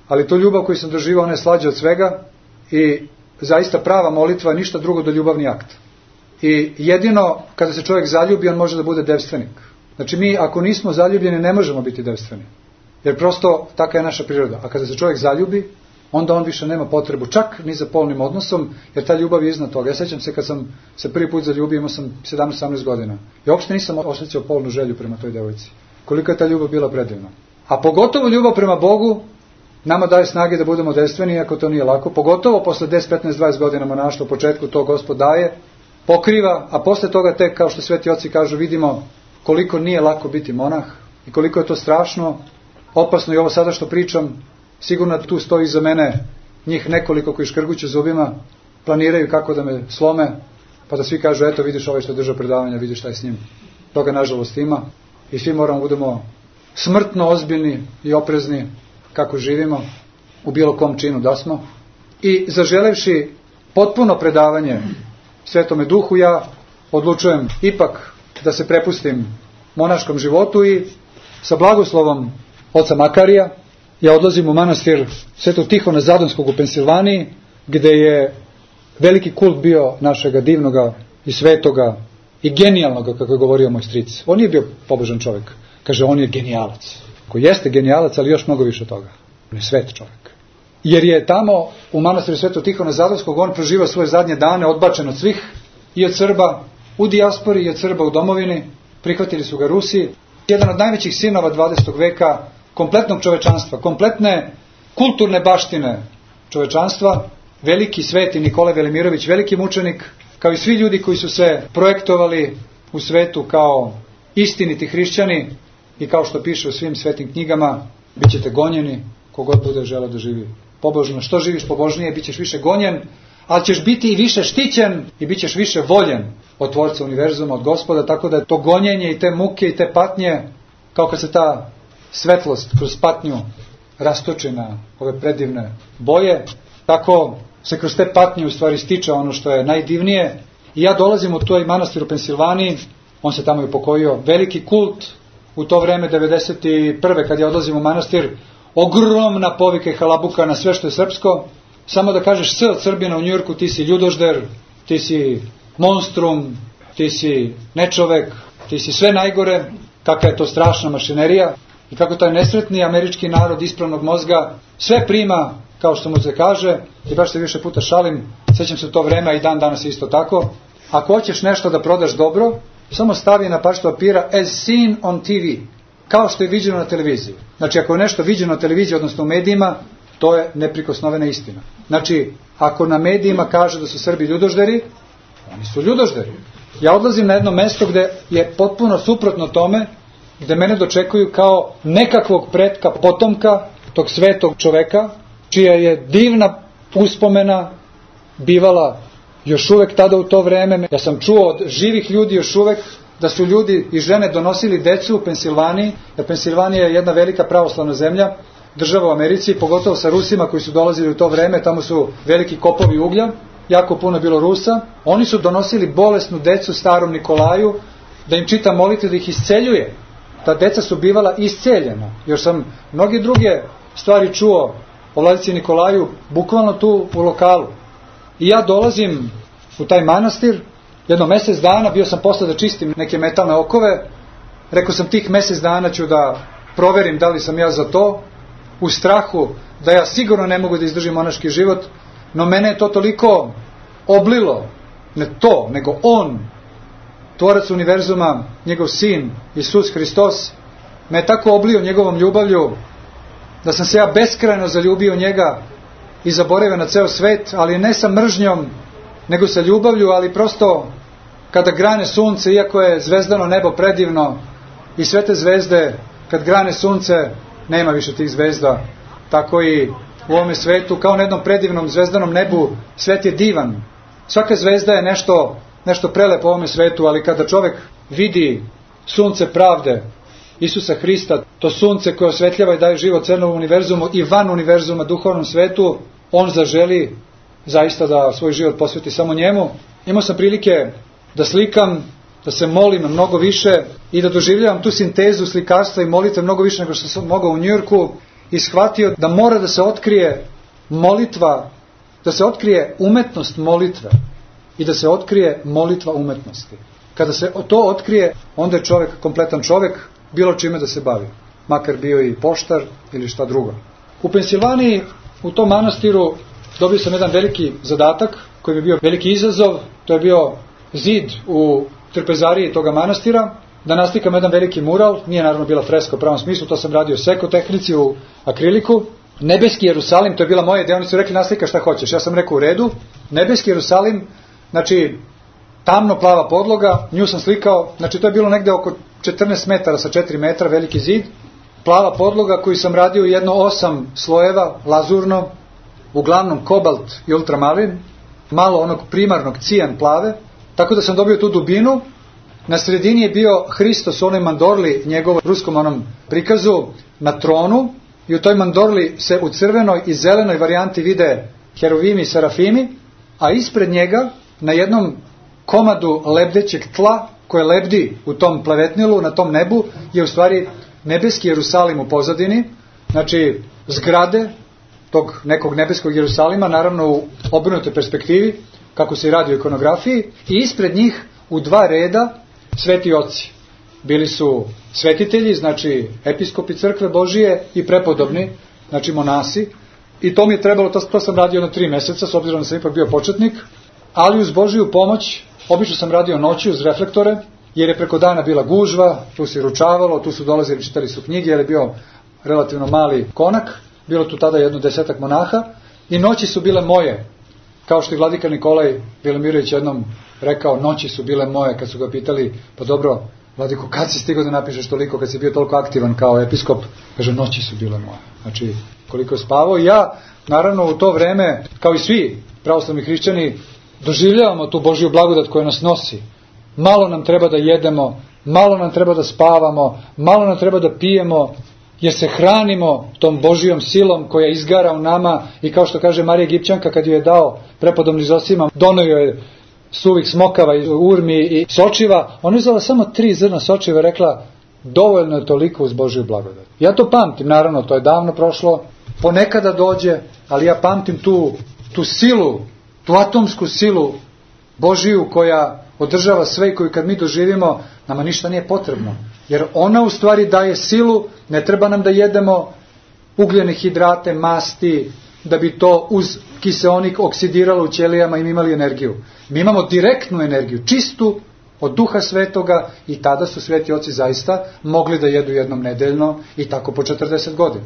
ali to ljubav koju sam doživao, ona je slađa od svega i zaista prava molitva je ništa drugo do ljubavni akt. I jedino kada se čovjek zaljubi, on može da bude devstvenik. Znači mi ako nismo zaljubljeni ne možemo biti devstveni. Jer prosto taka je naša priroda. A kada se čovjek zaljubi, onda on više nema potrebu čak ni za polnim odnosom, jer ta ljubav je iznad toga. Ja sećam se kad sam se prvi put zaljubio, imao sam 17-18 godina. I uopšte nisam osjećao polnu želju prema toj devojci. Koliko je ta ljubav bila predivna. A pogotovo ljubav prema Bogu nama daje snage da budemo dejstveni, iako to nije lako. Pogotovo posle 10, 15, 20 godina monaštva, u početku to Gospod daje, pokriva, a posle toga tek, kao što sveti oci kažu, vidimo koliko nije lako biti monah i koliko je to strašno, opasno. I ovo sada što pričam, sigurno tu stoji iza mene njih nekoliko koji škrguću zubima, planiraju kako da me slome, pa da svi kažu, eto vidiš ovaj što je držao predavanja, vidiš šta je s njim. Toga nažalost ima i svi moramo budemo smrtno ozbiljni i oprezni kako živimo, u bilo kom činu da smo. I zaželevši potpuno predavanje Svetome Duhu, ja odlučujem ipak da se prepustim monaškom životu i sa blagoslovom oca Makarija ja odlazim u manastir Svetog Tihona Zadonskog u Pensilvaniji, gde je veliki kult bio našega divnoga i svetoga i genijalnoga, kako je govorio moj stric. On nije bio pobožan čovjek. Kaže, on je genijalac. Koji jeste genijalac, ali još mnogo više toga. On je svet čovjek. Jer je tamo u manastiru Svetog Tihona Zadonskog on proživao svoje zadnje dane odbačen od svih, i od Srba u dijaspori i od Srba u domovini. Prihvatili su ga Rusi. Jedan od najvećih sinova 20. veka, kompletnog čovečanstva, kompletne kulturne baštine čovečanstva, veliki sveti Nikolaj Velimirović, veliki mučenik, kao i svi ljudi koji su se projektovali u svetu kao istiniti hrišćani i kao što piše u svim svetim knjigama, bit ćete gonjeni, kogod bude želeo da živi pobožno. Što živiš pobožnije, bit ćeš više gonjen, ali ćeš biti i više štićen i bit ćeš više voljen od Tvorca univerzuma, od Gospoda, tako da je to gonjenje i te muke i te patnje, kao kad se ta svetlost kroz patnju rastoči na ove predivne boje, tako se kroz te patnje u stvari stiče ono što je najdivnije. I ja dolazim u toj manastir u Pensilvaniji, on se tamo i upokojio, veliki kult u to vreme 91. kad ja odlazim u manastir, ogromna povika i halabuka na sve što je srpsko. Samo da kažeš S od Srbina u Njujorku, ti si ljudožder, ti si monstrum, ti si nečovek, ti si sve najgore, kakva je to strašna mašinerija i kako taj nesretni američki narod ispravnog mozga sve prima, kao što mu se kaže, i baš se više puta šalim, sećam se to vreme, a i dan danas isto tako. Ako hoćeš nešto da prodaš dobro, samo stavi na parčetu papira as seen on TV, kao što je viđeno na televiziji. Znači, ako je nešto viđeno na televiziji, odnosno u medijima, to je neprikosnovena istina. Znači, ako na medijima kaže da su Srbi ljudožderi, oni su ljudožderi. Ja odlazim na jedno mesto gde je potpuno suprotno tome, gde mene dočekuju kao nekakvog pretka, potomka tog svetog čoveka, čija je divna uspomena bivala još uvek tada u to vreme. Ja sam čuo od živih ljudi još uvek da su ljudi i žene donosili decu u Pensilvaniji, jer Pensilvanija je jedna velika pravoslavna zemlja, država u Americi, pogotovo sa Rusima koji su dolazili u to vreme, tamo su veliki kopovi uglja, jako puno bilo Rusa. Oni su donosili bolesnu decu starom Nikolaju da im čita molitve, da ih isceljuje. Ta deca su bivala isceljena. Još sam mnogi druge stvari čuo o vladici Nikolaju, bukvalno tu u lokalu. I ja dolazim u taj manastir, jedno mesec dana, bio sam posle da čistim neke metalne okove, rekao sam tih mesec dana ću da proverim da li sam ja za to, u strahu da ja sigurno ne mogu da izdržim monaški život, no mene je to toliko oblilo, ne to, nego on, Tvorac univerzuma, njegov sin, Isus Hristos, me je tako oblio njegovom ljubavlju, da sam se ja beskrajno zaljubio u njega i zaboravio na ceo svet, ali ne sa mržnjom, nego sa ljubavlju, ali prosto kada grane sunce, iako je zvezdano nebo predivno i sve te zvezde, kad grane sunce, nema više tih zvezda, tako i u ovome svetu, kao na jednom predivnom zvezdanom nebu, svet je divan. Svaka zvezda je nešto prelepo u ovome svetu, ali kada čovek vidi sunce pravde, Isusa Hrista, to sunce koje osvetljava i daje život celom univerzumu i van univerzuma, duhovnom svetu, on zaželi zaista da svoj život posveti samo njemu. Imao sam prilike da slikam, da se molim mnogo više i da doživljavam tu sintezu slikarstva i molitve mnogo više nego što sam mogao u Njujorku i shvatio da mora da se otkrije molitva, da se otkrije umetnost molitve i da se otkrije molitva umetnosti. Kada se to otkrije, onda je čovek kompletan čovek, bilo čime da se bavi, makar bio i poštar ili šta drugo. U Pensilvaniji u tom manastiru dobio sam jedan veliki zadatak, koji bi bio veliki izazov. To je bio zid u trpezariji toga manastira, da naslikam jedan veliki mural. Nije naravno bila freska u pravom smislu, to sam radio seko tehnici u akriliku. Nebeski Jerusalim, to je bila moja ideja, oni su rekli naslika šta hoćeš. Ja sam rekao u redu. Nebeski Jerusalim, znači tamno plava podloga, nju sam slikao, znači to je bilo negde oko 14 metara sa 4 metra, veliki zid, plava podloga koju sam radio jedno 8 slojeva, lazurno, uglavnom kobalt i ultramalin, malo onog primarnog cijan plave, tako da sam dobio tu dubinu. Na sredini je bio Hristos u onoj mandorli, njegovom ruskom onom prikazu, na tronu, i u toj mandorli se u crvenoj i zelenoj varijanti vide heruvimi i serafimi, a ispred njega na jednom komadu lebdećeg tla koje lebdi u tom plavetnilu, na tom nebu, je u stvari nebeski Jerusalim u pozadini, znači zgrade tog nekog nebeskog Jerusalima, naravno u obrnutoj perspektivi, kako se radi u ikonografiji, i ispred njih u 2 reda sveti oci. Bili su svetitelji, znači episkopi crkve Božije, i prepodobni, znači monasi, i to mi je trebalo, to sam radio na 3 meseca, s obzirom da sam ipak bio početnik, ali uz Božiju pomoć, obično sam radio noći uz reflektore, jer je preko dana bila gužva, tu se ručavalo, tu su dolazili, čitali su knjige, jer je bio relativno mali konak, bilo tu tada jedno 10 monaha, i noći su bile moje, kao što je vladika Nikolaj Velimirović jednom rekao, noći su bile moje, kad su ga pitali, pa dobro, vladiko, kad si stigao da napišeš toliko, kad si bio toliko aktivan kao episkop? Kaže, noći su bile moje. Znači, koliko je spavao. Ja, naravno, u to vreme, kao i svi pravoslavni hrišćani, doživljavamo tu Božju blagodat koja nas nosi. Malo nam treba da jedemo, malo nam treba da spavamo, malo nam treba da pijemo, jer se hranimo tom Božijom silom koja izgara u nama, i kao što kaže Marija Egipćanka, kad ju je dao prepodobni Zosima, donio je suvih smokava, urmi i sočiva, ona je uzela samo 3 zrna sočiva i rekla, dovoljno je toliko uz Božju blagodat. Ja to pamtim, naravno, to je davno prošlo, ponekada dođe, ali ja pamtim tu silu, tu atomsku silu Božiju koja održava sve i koju kad mi doživimo, nama ništa nije potrebno. Jer ona u stvari daje silu, ne treba nam da jedemo ugljene hidrate, masti, da bi to uz kiseonik oksidiralo u ćelijama i mi imali energiju. Mi imamo direktnu energiju, čistu od Duha Svetoga, i tada su sveti oci zaista mogli da jedu jednom nedeljno i tako po 40 godina.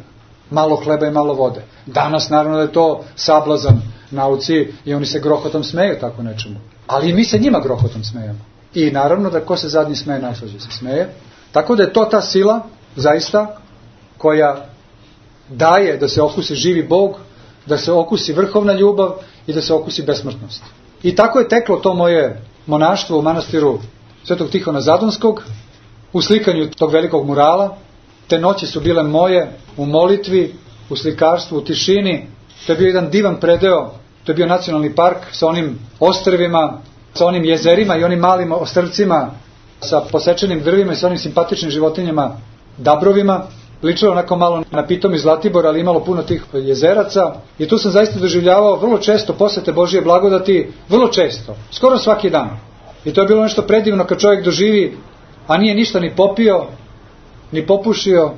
Malo hleba i malo vode. Danas naravno da je to sablazan nauci i oni se grohotom smeju tako nečemu. Ali i mi se njima grohotom smejemo. I naravno da ko se zadnji smeje, najslađe se smeje. Tako da je to ta sila, zaista, koja daje da se okusi živi Bog, da se okusi vrhovna ljubav i da se okusi besmrtnost. I tako je teklo to moje monaštvo u manastiru Svetog Tihona Zadonskog, u slikanju tog velikog murala. Te noći su bile moje u molitvi, u slikarstvu, u tišini. To je bio jedan divan predeo, to je bio nacionalni park sa onim ostrvima, sa onim jezerima i onim malim ostrvcima, sa posečenim drvima i sa onim simpatičnim životinjama, dabrovima. Ličilo onako malo na Pitom iz Zlatibora, ali imalo puno tih jezeraca. I tu sam zaista doživljavao vrlo često posete Božije blagodati, vrlo često, skoro svaki dan. I to je bilo nešto predivno kad čovjek doživi, a nije ništa ni popio, ni popušio,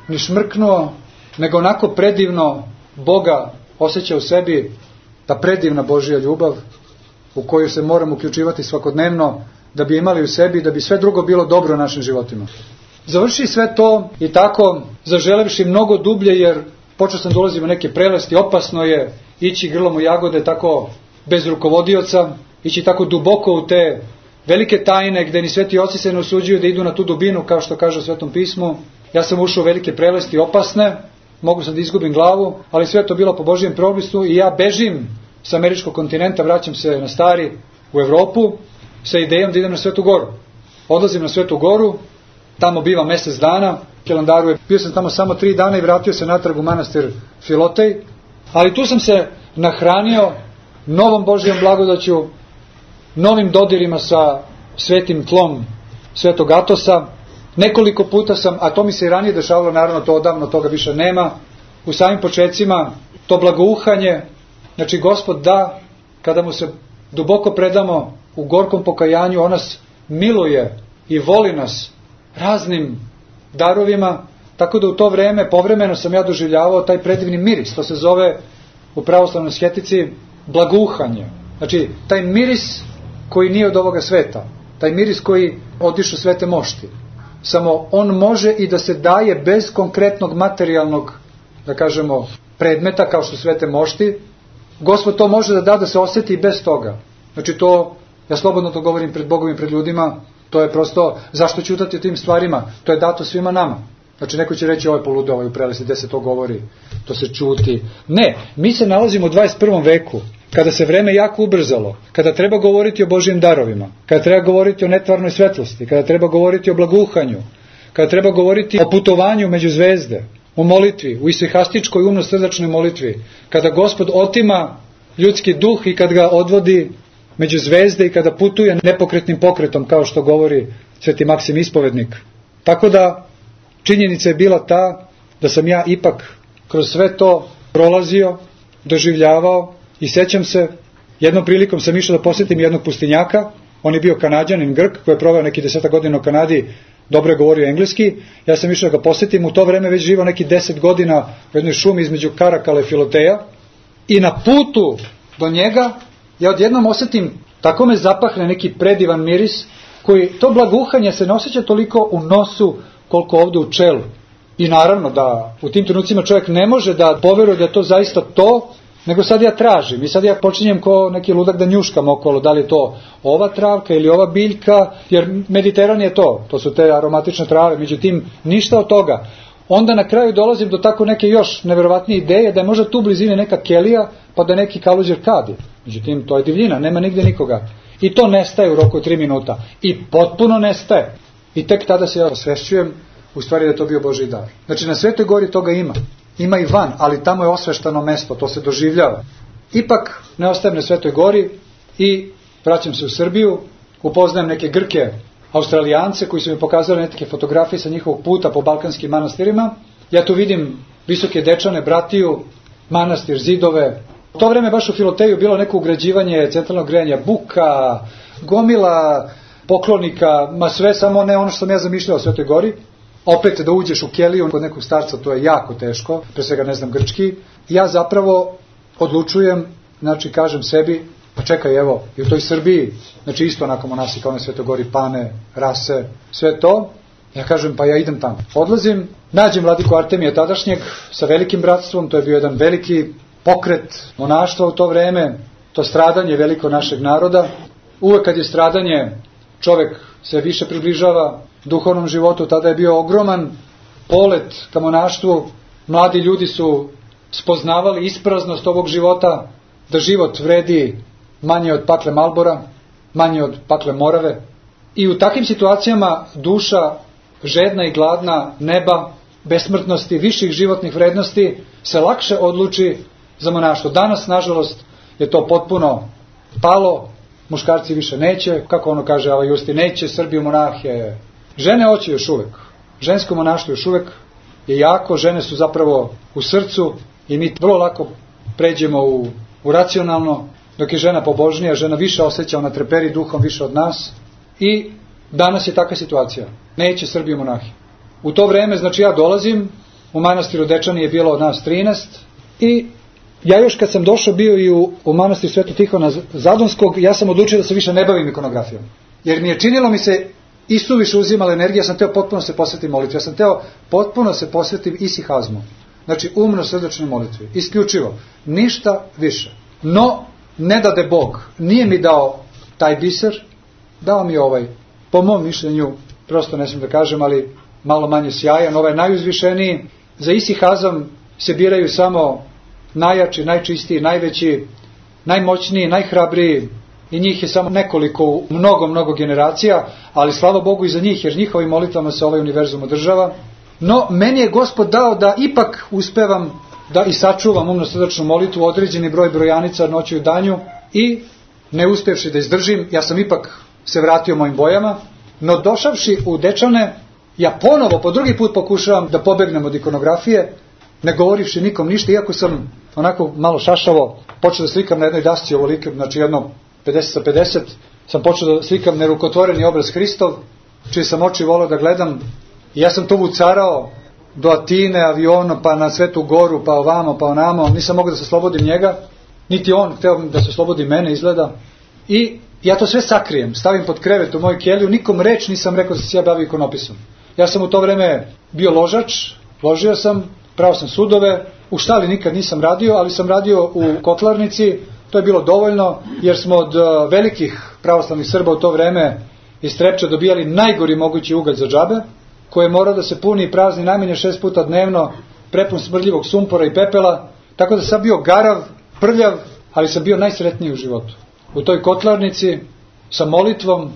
ni šmrknuo, nego onako predivno Boga osjeća u sebi, ta predivna Božja ljubav u koju se moramo uključivati svakodnevno, da bi imali u sebi, da bi sve drugo bilo dobro u našim životima. Završi sve to i tako, zaželevši mnogo dublje, jer počeo sam dolaziti u neke prelesti, opasno je ići grlom u jagode tako bez rukovodioca, ići tako duboko u te velike tajne gde ni sveti oci se ne usuđuju da idu na tu dubinu, kao što kaže u Svetom pismu. Ja sam ušao u velike prelesti opasne, mogu sam da izgubim glavu, ali sve to bilo po Božijem propisu i ja bežim sa američkog kontinenta, vraćam se na stari u Evropu sa idejom da idem na Svetu Goru. Odlazim na Svetu Goru, tamo bivam mesec dana, Hilandaru bio sam tamo samo 3 dana i vratio se natrag u manastir Filotej, ali tu sam se nahranio novom Božijom blagodaću, novim dodirima sa svetim tlom Svetog Atosa. Nekoliko puta sam, a to mi se i ranije dešavalo, naravno to odavno, toga više nema, u samim počecima, to blagouhanje, znači Gospod da, kada mu se duboko predamo u gorkom pokajanju, on nas miluje i voli nas raznim darovima, tako da u to vreme, povremeno sam ja doživljavao taj predivni miris, to se zove u pravoslavnoj sketici blaguhanje. Znači, taj miris koji nije od ovoga sveta, taj miris koji odišu svete mošti. Samo on može i da se daje bez konkretnog materijalnog, da kažemo, predmeta kao što svete mošti. Gospod to može da se osjeti i bez toga. Znači to, ja slobodno to govorim pred Bogom i pred ljudima, to je prosto, zašto ćutati o tim stvarima? To je dato svima nama. Znači neko će reći, ovo je poludo, ovo je u prelesti, gde se to govori, to se čuti. Ne, mi se nalazimo u 21. veku, kada se vreme jako ubrzalo, kada treba govoriti o Božjim darovima, kada treba govoriti o netvarnoj svetlosti, kada treba govoriti o blaguhanju, kada treba govoriti o putovanju među zvezde, u molitvi, u isihastičkoj umno-srdačnoj molitvi, kada Gospod otima ljudski duh i kad ga odvodi među zvezde i kada putuje nepokretnim pokretom, kao što govori Sveti Maksim Ispovednik. Tako da, činjenica je bila ta da sam ja ipak kroz sve to prolazio, doživljavao i sećam se, jednom prilikom sam išao da posjetim jednog pustinjaka, on je bio Kanađanin, Grk, koji je proveo neki 10 godina u Kanadi, dobro je govorio engleski, ja sam išao da ga posjetim, u to vreme već živao neki 10 godina u jednoj šumi između Karakala i Filoteja i na putu do njega ja odjednom osjetim, tako me zapahne neki predivan miris, koji to blaguhanje se ne osjeća toliko u nosu koliko ovde u čelu. I naravno da u tim trenucima čovjek ne može da poveruje da je to zaista to, nego sad ja tražim i sad ja počinjem ko neki ludak da njuškam okolo, da li je to ova travka ili ova biljka, jer Mediteran je to su te aromatične trave, međutim ništa od toga. Onda na kraju dolazim do tako neke još neverovatnije ideje da je možda tu u blizini neka kelija, pa da neki kaluđer kadi. Međutim, to je divljina, nema nigde nikoga. I to nestaje u roku od 3 minuta. I potpuno nestaje. I tek tada se ja osvešćujem, u stvari da je to bio Božji dar. Znači, na Svetoj gori toga ima. Ima i van, ali tamo je osveštano mesto, to se doživljava. Ipak ne ostajem na Svetoj gori i vraćam se u Srbiju, upoznajem neke Grke, Australijance koji su mi pokazali neke fotografije sa njihovog puta po balkanskim manastirima. Ja tu vidim visoke dečane, bratiju, manastir, zidove. U to vreme baš u Filoteju bilo neko ugrađivanje centralnog grejanja, buka, gomila poklonika, ma sve samo ne ono što sam ja zamišljao o Svetoj gori. Opet da uđeš u keliju kod nekog starca, to je jako teško, pre svega ne znam grčki. Ja zapravo odlučujem, znači kažem sebi, pa čekaj evo, i u toj Srbiji, znači isto onako monasi kao na Svetoj gori, Pane, Rase, sve to, ja kažem pa ja idem tamo. Odlazim, nađem vladiku Artemija tadašnjeg sa velikim bratstvom, to je bio jedan veliki pokret monaštva u to vreme, to stradanje veliko našeg naroda. Uvek kad je stradanje, čovek se više približava duhovnom životu, tada je bio ogroman polet ka monaštvu, mladi ljudi su spoznavali ispraznost ovog života, da život vredi manje od pakle Malbora, manje od pakle Morave. I u takvim situacijama duša žedna i gladna neba, besmrtnosti, viših životnih vrednosti se lakše odluči za monaštvo. Danas, nažalost, je to potpuno palo, muškarci više neće, kako ono kaže Ava Justi, neće Srbiju monahe. Žene hoće još uvek. Žensko monaštvo još uvek je jako, žene su zapravo u srcu i mi vrlo lako pređemo u racionalno, dok je žena pobožnija, žena više osjeća, ona treperi duhom više od nas i danas je takva situacija. Neće Srbiju monahi. U to vreme, znači ja dolazim, u manastiru Dečani je bilo od nas 13 i ja još kad sam došao bio i u manastir Svetog Tihona Zadonskog, ja sam odlučio da se više ne bavim ikonografijom. Jer mi je činilo mi se isuviše uzimala energija, ja sam teo potpuno se posvetiti molitvi, ja sam teo potpuno se posvetiti isihazmu. Znači umno srdačnoj molitvi, isključivo, ništa više. No, ne dade Bog, nije mi dao taj biser, dao mi ovaj, po mom mišljenju, prosto ne smijem da kažem, ali malo manje sjajan, ovaj najuzvišeniji. Za isihazam se biraju samo najjači, najčistiji, najveći, najmoćniji, najhrabriji i njih je samo nekoliko u mnogo generacija, ali slava Bogu i za njih, jer njihovim molitvama se ovaj univerzum održava. No, meni je Gospod dao da ipak uspevam da i sačuvam umno-srdačnu molitvu, određeni broj brojanica noću i danju i ne uspevši da izdržim, ja sam ipak se vratio mojim bojama, no došavši u Dečane, ja ponovo po drugi put pokušavam da pobegnem od ikonografije, ne govorivši nikom ništa, iako sam onako malo šašavo počeo da slikam na jednoj dasci ovolike, znači jedno 50x50, sam počeo da slikam nerukotvoreni obraz Hristov, čiji sam oči voleo da gledam i ja sam to vucarao do Atine avionom, pa na Svetu Goru, pa ovamo, pa onamo, nisam mogao da se oslobodim njega, niti on hteo da se oslobodi mene, izgleda. I ja to sve sakrijem, stavim pod krevet u moju keliju, nikom reč nisam rekao da se ja bavio ikonopisom. Ja sam u to vreme bio ložač, ložio sam, pravo sam sudove, u štali nikad nisam radio, ali sam radio u kotlarnici, to je bilo dovoljno, jer smo od velikih pravoslavnih Srba u to vreme iz Trepča dobijali najgori mogući ugalj za džabe, koji je morao da se puni i prazni najmanje 6 puta dnevno, prepun smrdljivog sumpora i pepela, tako da sam bio garav, prljav, ali sam bio najsretniji u životu. U toj kotlarnici, sa molitvom,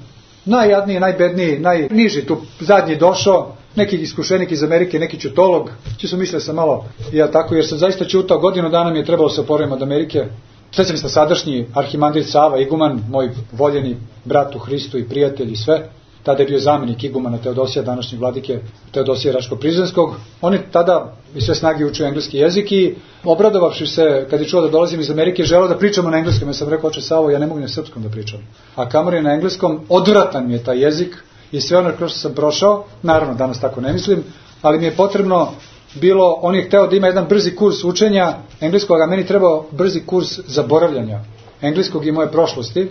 najjadniji, najbedniji, najniži tu zadnji došao, neki iskušenik iz Amerike, neki ćutolog, su mislio sam malo i ja tako, jer sam zaista ćutao, godinu dana mi je trebalo se oporavim od Amerike. Sve sam sadašnji arhimandrit Sava, iguman, moj voljeni brat u Hristu i prijatelj i sve, tada je bio zamenik igumana Teodosija, današnjeg vladike Teodosija Raško-Prizrenskog. On je tada i sve snage učio engleski jezik i obradovavši se kad je čuo da dolazim iz Amerike, želeo da pričamo na engleskom. Ja sam rekao, oče Savo, ja ne mogu na srpskom da pričam. A kamar je na engleskom, odvratan mi je taj jezik i sve ono kroz što sam prošao, naravno danas tako ne mislim, ali mi je potrebno bilo, on je hteo da ima jedan brzi kurs učenja engleskog, a meni trebao brzi kurs zaboravljanja engleskog i moje prošlosti,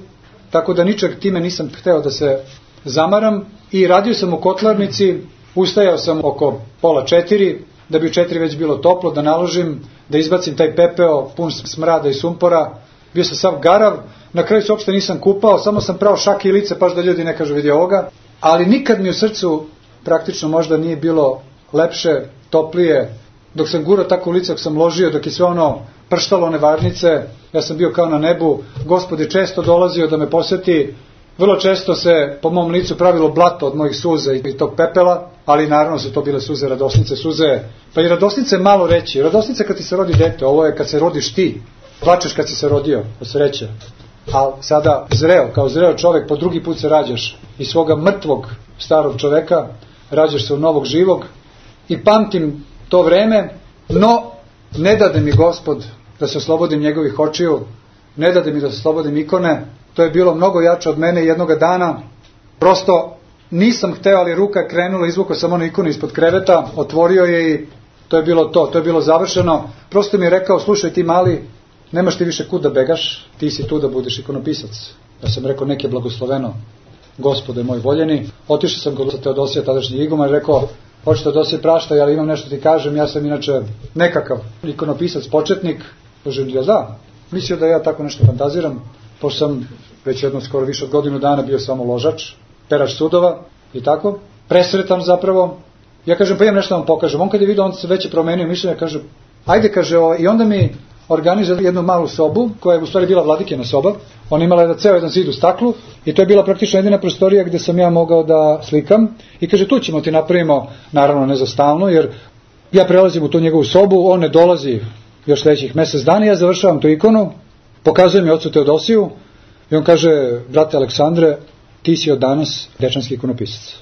tako da ničeg time nisam hteo da se zamaram i radio sam u kotlarnici, ustajao sam oko 3:30, da bi u 4 već bilo toplo, da naložim, da izbacim taj pepeo pun smrada i sumpora, bio sam sav garav, na kraju se uopšte nisam kupao, samo sam prao šake i lice, paš da ljudi ne kažu vidi ovoga, ali nikad mi u srcu praktično možda nije bilo lepše, toplije, dok sam gurao tako u lice, dok sam ložio, dok je sve ono prštalo one varnice, ja sam bio kao na nebu, Gospod je često dolazio da me poseti, vrlo često se po mom licu pravilo blato od mojih suza i tog pepela, ali naravno su to bile suze radosnice, suze, pa i radosnice malo reći, radosnice kad ti se rodi dete, ovo je kad se rodiš ti, plačeš kad si se rodio, od sreće, a sada zreo, kao zreo čovek, po drugi put se rađaš iz svoga mrtvog starog čoveka, rađaš se u novog živog i pamtim to vreme, no ne dade mi Gospod da se oslobodim njegovih očiju, ne dade mi da se oslobodim ikone, to je bilo mnogo jače od mene jednoga dana, prosto nisam hteo, ali ruka je krenula, izvukao sam onu ikonu ispod kreveta, otvorio je i to je bilo to je bilo završeno, prosto mi je rekao, slušaj ti mali, nemaš ti više kud da begaš, ti si tu da budeš ikonopisac. Ja sam rekao, nek je blagosloveno, Gospode moj voljeni, otišao sam kod Teodosija, tadašnji iguma, i rekao, hoće Teodosije praštaj, ali imam nešto ti kažem, ja sam inače nekakav ikonopisac, početnik, kažem, ja da, mislio da ja tako nešto fantaziram, pošto sam već jedno skoro više od godinu dana bio samo ložač, perač sudova i tako, presretan zapravo. Ja kažem, pa imam nešto da vam pokažem. On kad je vidio, on se već je promenio mišljenje, kaže, ajde, kaže, i onda mi organizuje jednu malu sobu, koja je u stvari bila vladikina soba. Ona imala ceo jedan zid u staklu i to je bila praktično jedina prostorija gde sam ja mogao da slikam. I kaže, tu ćemo ti napravimo, naravno ne za stalno, jer ja prelazim u tu njegovu sobu, on ne dolazi još sledećih mesec dana, ja završavam tu ikonu, pokazujem je ocu Teodosiju i on kaže, brate Aleksandre, ti si od danas dečanski ikonopisac.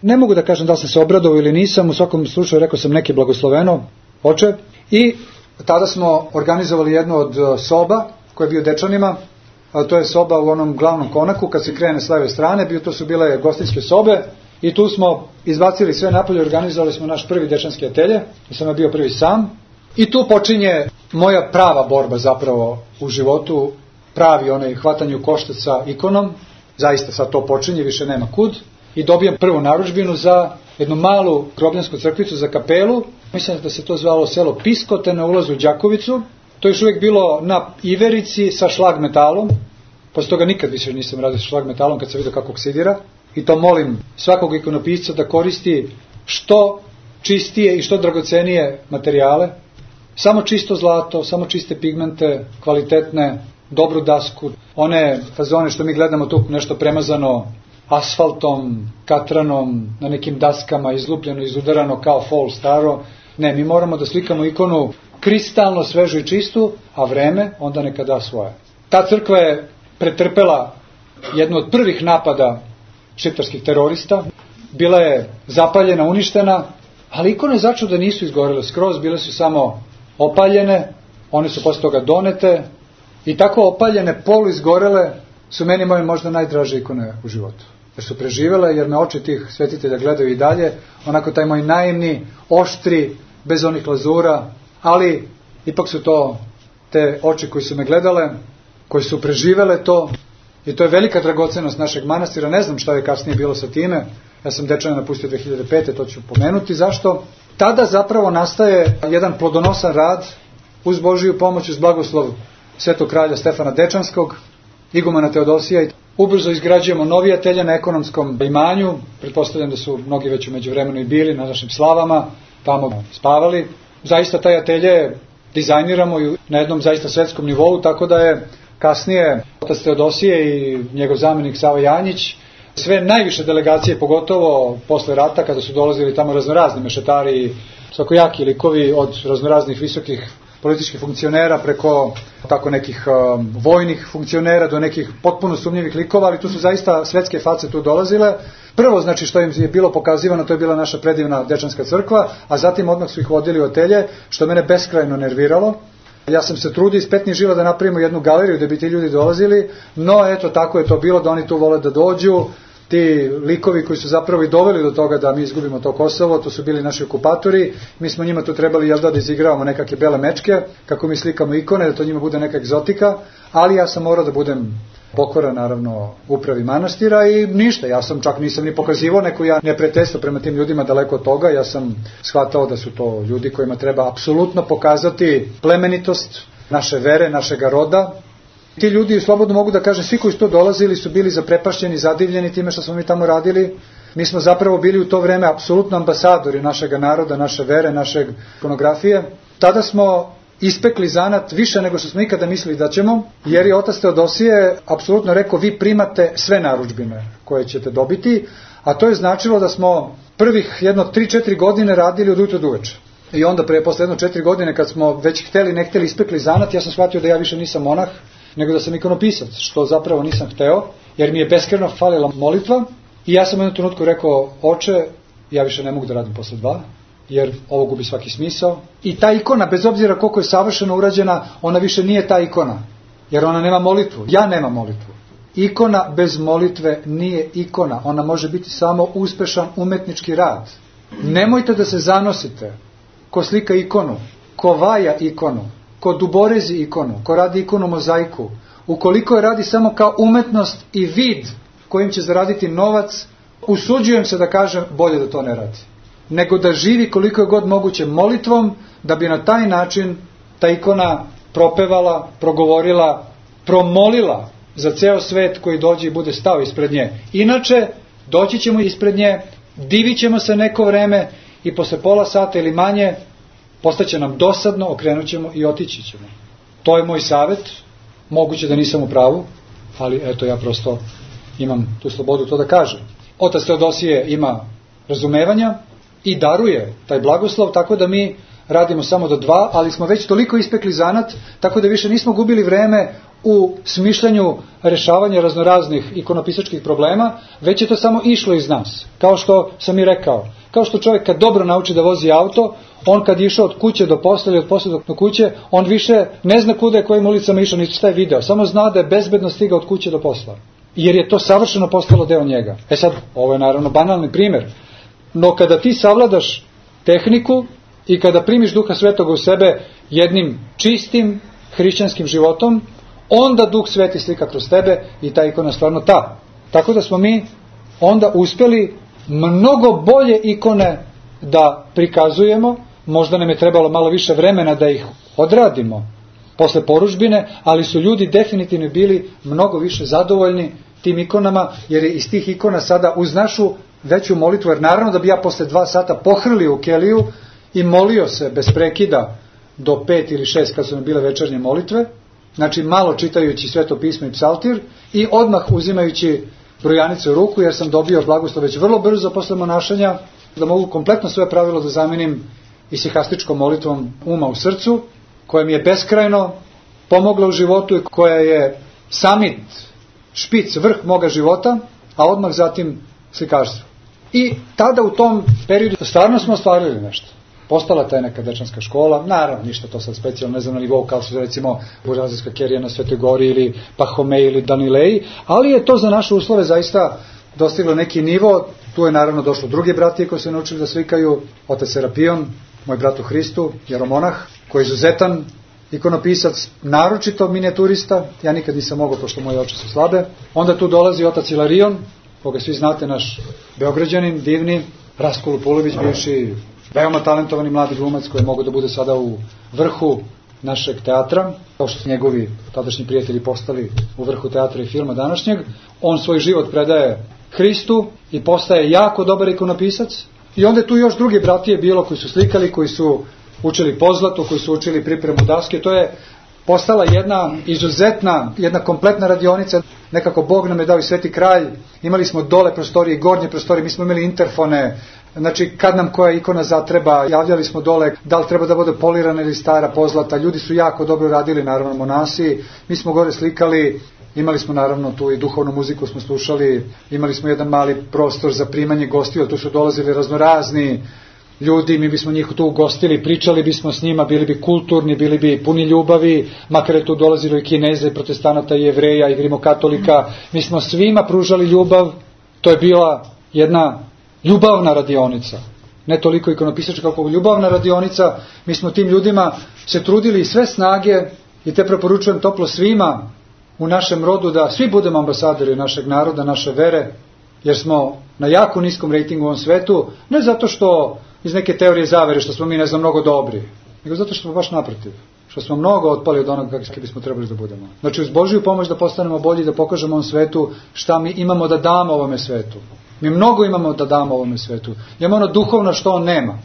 Ne mogu da kažem da li sam se obradovao ili nisam, u svakom slučaju rekao sam neki blagosloveno, oče, i tada smo organizovali jednu od soba koja je bio dečanima, a to je soba u onom glavnom konaku, kad se krene s leve strane, to su bile gostinske sobe i tu smo izbacili sve napolje, organizovali smo naš prvi dečanski atelje, ja sam bio prvi sam i tu počinje moja prava borba zapravo u životu, pravi onaj hvatanje u koštac sa ikonom, zaista sad to počinje, više nema kud, i dobijam prvu narudžbinu za jednu malu grobljansku crkvicu za kapelu, mislim da se to zvalo selo Piskote na ulazu u Đakovicu, to je još uvijek bilo na iverici sa šlag metalom, posle toga nikad više nisam radio sa šlag metalom kad sam vidio kako oksidira, i to molim svakog ikonopisca da koristi što čistije i što dragocenije materijale, samo čisto zlato, samo čiste pigmente, kvalitetne, dobru dasku, one fazone što mi gledamo tu nešto premazano asfaltom, katranom, na nekim daskama, izlupljeno, izudarano kao fol staro. Ne, mi moramo da slikamo ikonu kristalno svežu i čistu, a vreme onda neka da svoje. Ta crkva je pretrpela jednu od prvih napada šiptarskih terorista, bila je zapaljena, uništena, ali ikone začuda nisu izgorele skroz, bile su samo opaljene, one su posle toga donete i tako opaljene, polu izgorele su meni moje možda najdraže ikone u životu. jer su preživele, jer me oči tih svetitelja gledaju i dalje, onako taj moj naivni, oštri, bez onih lazura, ali ipak su to te oči koji su me gledale, koji su preživele to, i to je velika dragocenost našeg manastira. Ne znam šta je kasnije bilo sa time, ja sam Dečane napustio 2005. To ću pomenuti. Zašto? Tada zapravo nastaje jedan plodonosan rad uz Božiju pomoć, uz blagoslov svetog kralja Stefana Dečanskog, igumana Teodosija. Ubrzo izgrađujemo novi atelje na ekonomskom imanju, pretpostavljam da su mnogi već u međuvremenu i bili na našim slavama, tamo spavali. Zaista taj atelje dizajniramo na jednom zaista svetskom nivou, tako da je kasnije otac Teodosije i njegov zamjenik Sava Janjić, sve najviše delegacije, pogotovo posle rata, kada su dolazili tamo raznorazni mešetari i svakojaki likovi, od raznoraznih visokih političkih funkcionera preko tako nekih vojnih funkcionera do nekih potpuno sumnjivih likova, ali tu su zaista svetske face tu dolazile. Prvo, znači, što im je bilo pokazivano, to je bila naša predivna Dečanska crkva, a zatim odmah su ih vodili u atelje, što mene beskrajno nerviralo. Ja sam se trudio iz petnih žila da napravimo jednu galeriju da bi ti ljudi dolazili, no eto, tako je to bilo, da oni tu vole da dođu. Ti likovi koji su zapravo i doveli do toga da mi izgubimo to Kosovo, to su bili naši okupatori, mi smo njima tu trebali da izigravamo nekakve bele mečke, kako mi slikamo ikone, da to njima bude neka egzotika, ali ja sam morao da budem pokoran, naravno, upravi manastira i ništa, ja sam čak nisam ni pokazivao neko ja neprijateljstvo prema tim ljudima, daleko od toga, ja sam shvatao da su to ljudi kojima treba apsolutno pokazati plemenitost naše vere, našega roda. Ti ljudi, slobodno mogu da kažem, svi koji su to dolazili su bili zaprepašćeni, zadivljeni time što smo mi tamo radili. Mi smo zapravo bili u to vreme apsolutno ambasadori našega naroda, naše vere, našeg ikonografije. Tada smo ispekli zanat više nego što smo ikada mislili da ćemo, jer je otac Teodosije apsolutno rekao, vi primate sve narudžbine koje ćete dobiti, a to je značilo da smo prvih 3-4 godine radili od jutra do uveče. I onda posle 4 godine kad smo već hteli ne hteli ispekli zanat, ja sam shvatio da ja više nisam monah, nego da sam ikonopisac, što zapravo nisam hteo, jer mi je beskrajno falila molitva. I ja sam u jednom trenutku rekao, oče, ja više ne mogu da radim posle 2, jer ovo gubi svaki smisao. I ta ikona, bez obzira koliko je savršeno urađena, ona više nije ta ikona, jer ona nema molitvu. Ja nemam molitvu. Ikona bez molitve nije ikona, ona može biti samo uspešan umetnički rad. Nemojte da se zanosite ko slika ikonu, ko vaja ikonu, ko duborezi ikonu, ko radi ikonu mozaiku. Ukoliko je radi samo kao umetnost i vid kojim će zaraditi novac, usuđujem se da kažem, bolje da to ne radi. Nego da živi koliko je god moguće molitvom, da bi na taj način ta ikona propevala, progovorila, promolila za ceo svet koji dođe i bude stao ispred nje. Inače, doći ćemo ispred nje, divit ćemo se neko vreme i posle pola sata ili manje postaće nam dosadno, okrenut ćemo i otići ćemo. To je moj savjet, moguće da nisam u pravu, ali eto, ja prosto imam tu slobodu to da kažem. Otac Teodosije ima razumevanja i daruje taj blagoslov, tako da mi radimo samo do 2, ali smo već toliko ispekli zanat, tako da više nismo gubili vreme u smišljanju rešavanja raznoraznih ikonopisačkih problema, već je to samo išlo iz nas. Kao što sam i rekao, kao što čovjek kad dobro nauči da vozi auto, on kad je išao od kuće do posla ili od posla do kuće, on više ne zna kuda je kojim ulicama išao, niti šta je video, samo zna da je bezbedno stigao od kuće do posla. Jer je to savršeno postalo deo njega. Sad, ovo je naravno banalni primjer, no kada ti savladaš tehniku i kada primiš Duha Svetoga u sebe jednim čistim hrišćanskim životom, onda Duh Sveti slika kroz tebe i ta ikona stvarno ta. Tako da smo mi onda uspeli mnogo bolje ikone da prikazujemo, možda nam je trebalo malo više vremena da ih odradimo posle porudžbine, ali su ljudi definitivno bili mnogo više zadovoljni tim ikonama, jer je iz tih ikona sada uz našu veću molitvu, jer naravno da bi ja posle 2 sata pohrlio u keliju i molio se bez prekida do 5 ili 6 kad su mi bile večernje molitve, znači malo čitajući Sveto pismo i psaltir i odmah uzimajući brojanicu u ruku, jer sam dobio blagoslov već vrlo brzo posle monašanja, da mogu kompletno svoje pravilo da zamenim isihastičkom molitvom uma u srcu, koja mi je beskrajno pomogla u životu i koja je samit, špic, vrh moga života, a odmah zatim slikarstvo. I tada u tom periodu stvarno smo ostvarili nešto. Postala ta neka dečanska škola, naravno ništa to sad specijalno, ne znam na nivou kao su recimo Burazijska kerija na Svetoj Gori ili Pahomej ili Danileji, ali je to za naše uslove zaista dostiglo neki nivo. Tu je naravno došlo drugi bratije koji su naučili da slikaju, otac Serapion, moj brat u Hristu, jeromonah, koji je izuzetan ikonopisac, naročito minijaturista, ja nikad nisam mogao pošto moje oči su slabe. Onda tu dolazi otac Ilarion, koga svi znate, naš Beograđanin, divni, Rastko Lupulović, bivši veoma talentovani mladi glumac koji je mogao da bude sada u vrhu našeg teatra, kao što su njegovi tadašnji prijatelji postali u vrhu teatra i filma današnjeg. On svoj život predaje Hristu i postaje jako dobar ikonopisac. I onda je tu još drugi bratije bilo koji su slikali, koji su učili pozlatu, koji su učili pripremu daske. To je postala jedna izuzetna, jedna kompletna radionica. Nekako Bog nam je dao i Sveti kralj. Imali smo dole prostorije i gornje prostorije, mi smo imali interfone. Znači, kad nam koja ikona zatreba, javljali smo dole da li treba da bude polirana ili stara pozlata. Ljudi su jako dobro radili, naravno monasi. Mi smo gore slikali, imali smo naravno tu i duhovnu muziku smo slušali, imali smo jedan mali prostor za primanje gostiju, tu su dolazili raznorazni ljudi, mi bismo njih tu ugostili, pričali bismo s njima, bili bi kulturni, bili bi puni ljubavi, makar je tu dolazilo i Kineza, i protestanata, i Jevreja, i rimokatolika. Mi smo svima pružali ljubav, to je bila jedna ljubavna radionica. Ne toliko ikonopisačka kako ljubavna radionica. Mi smo tim ljudima se trudili i sve snage, i te preporučujem toplo svima u našem rodu da svi budemo ambasadori našeg naroda, naše vere, jer smo na jako niskom rejtingu u ovom svetu, ne zato što iz neke teorije zavere što smo mi ne znam mnogo dobri, nego zato što smo baš naprotiv, što smo mnogo otpali od onoga kakvi bismo trebali da budemo. Znači uz Božiju pomoć da postanemo bolji, da pokažemo ovom svetu šta mi imamo da damo ovome svetu. Mi mnogo imamo da damo ovome svetu. Imamo ono duhovno što on nema.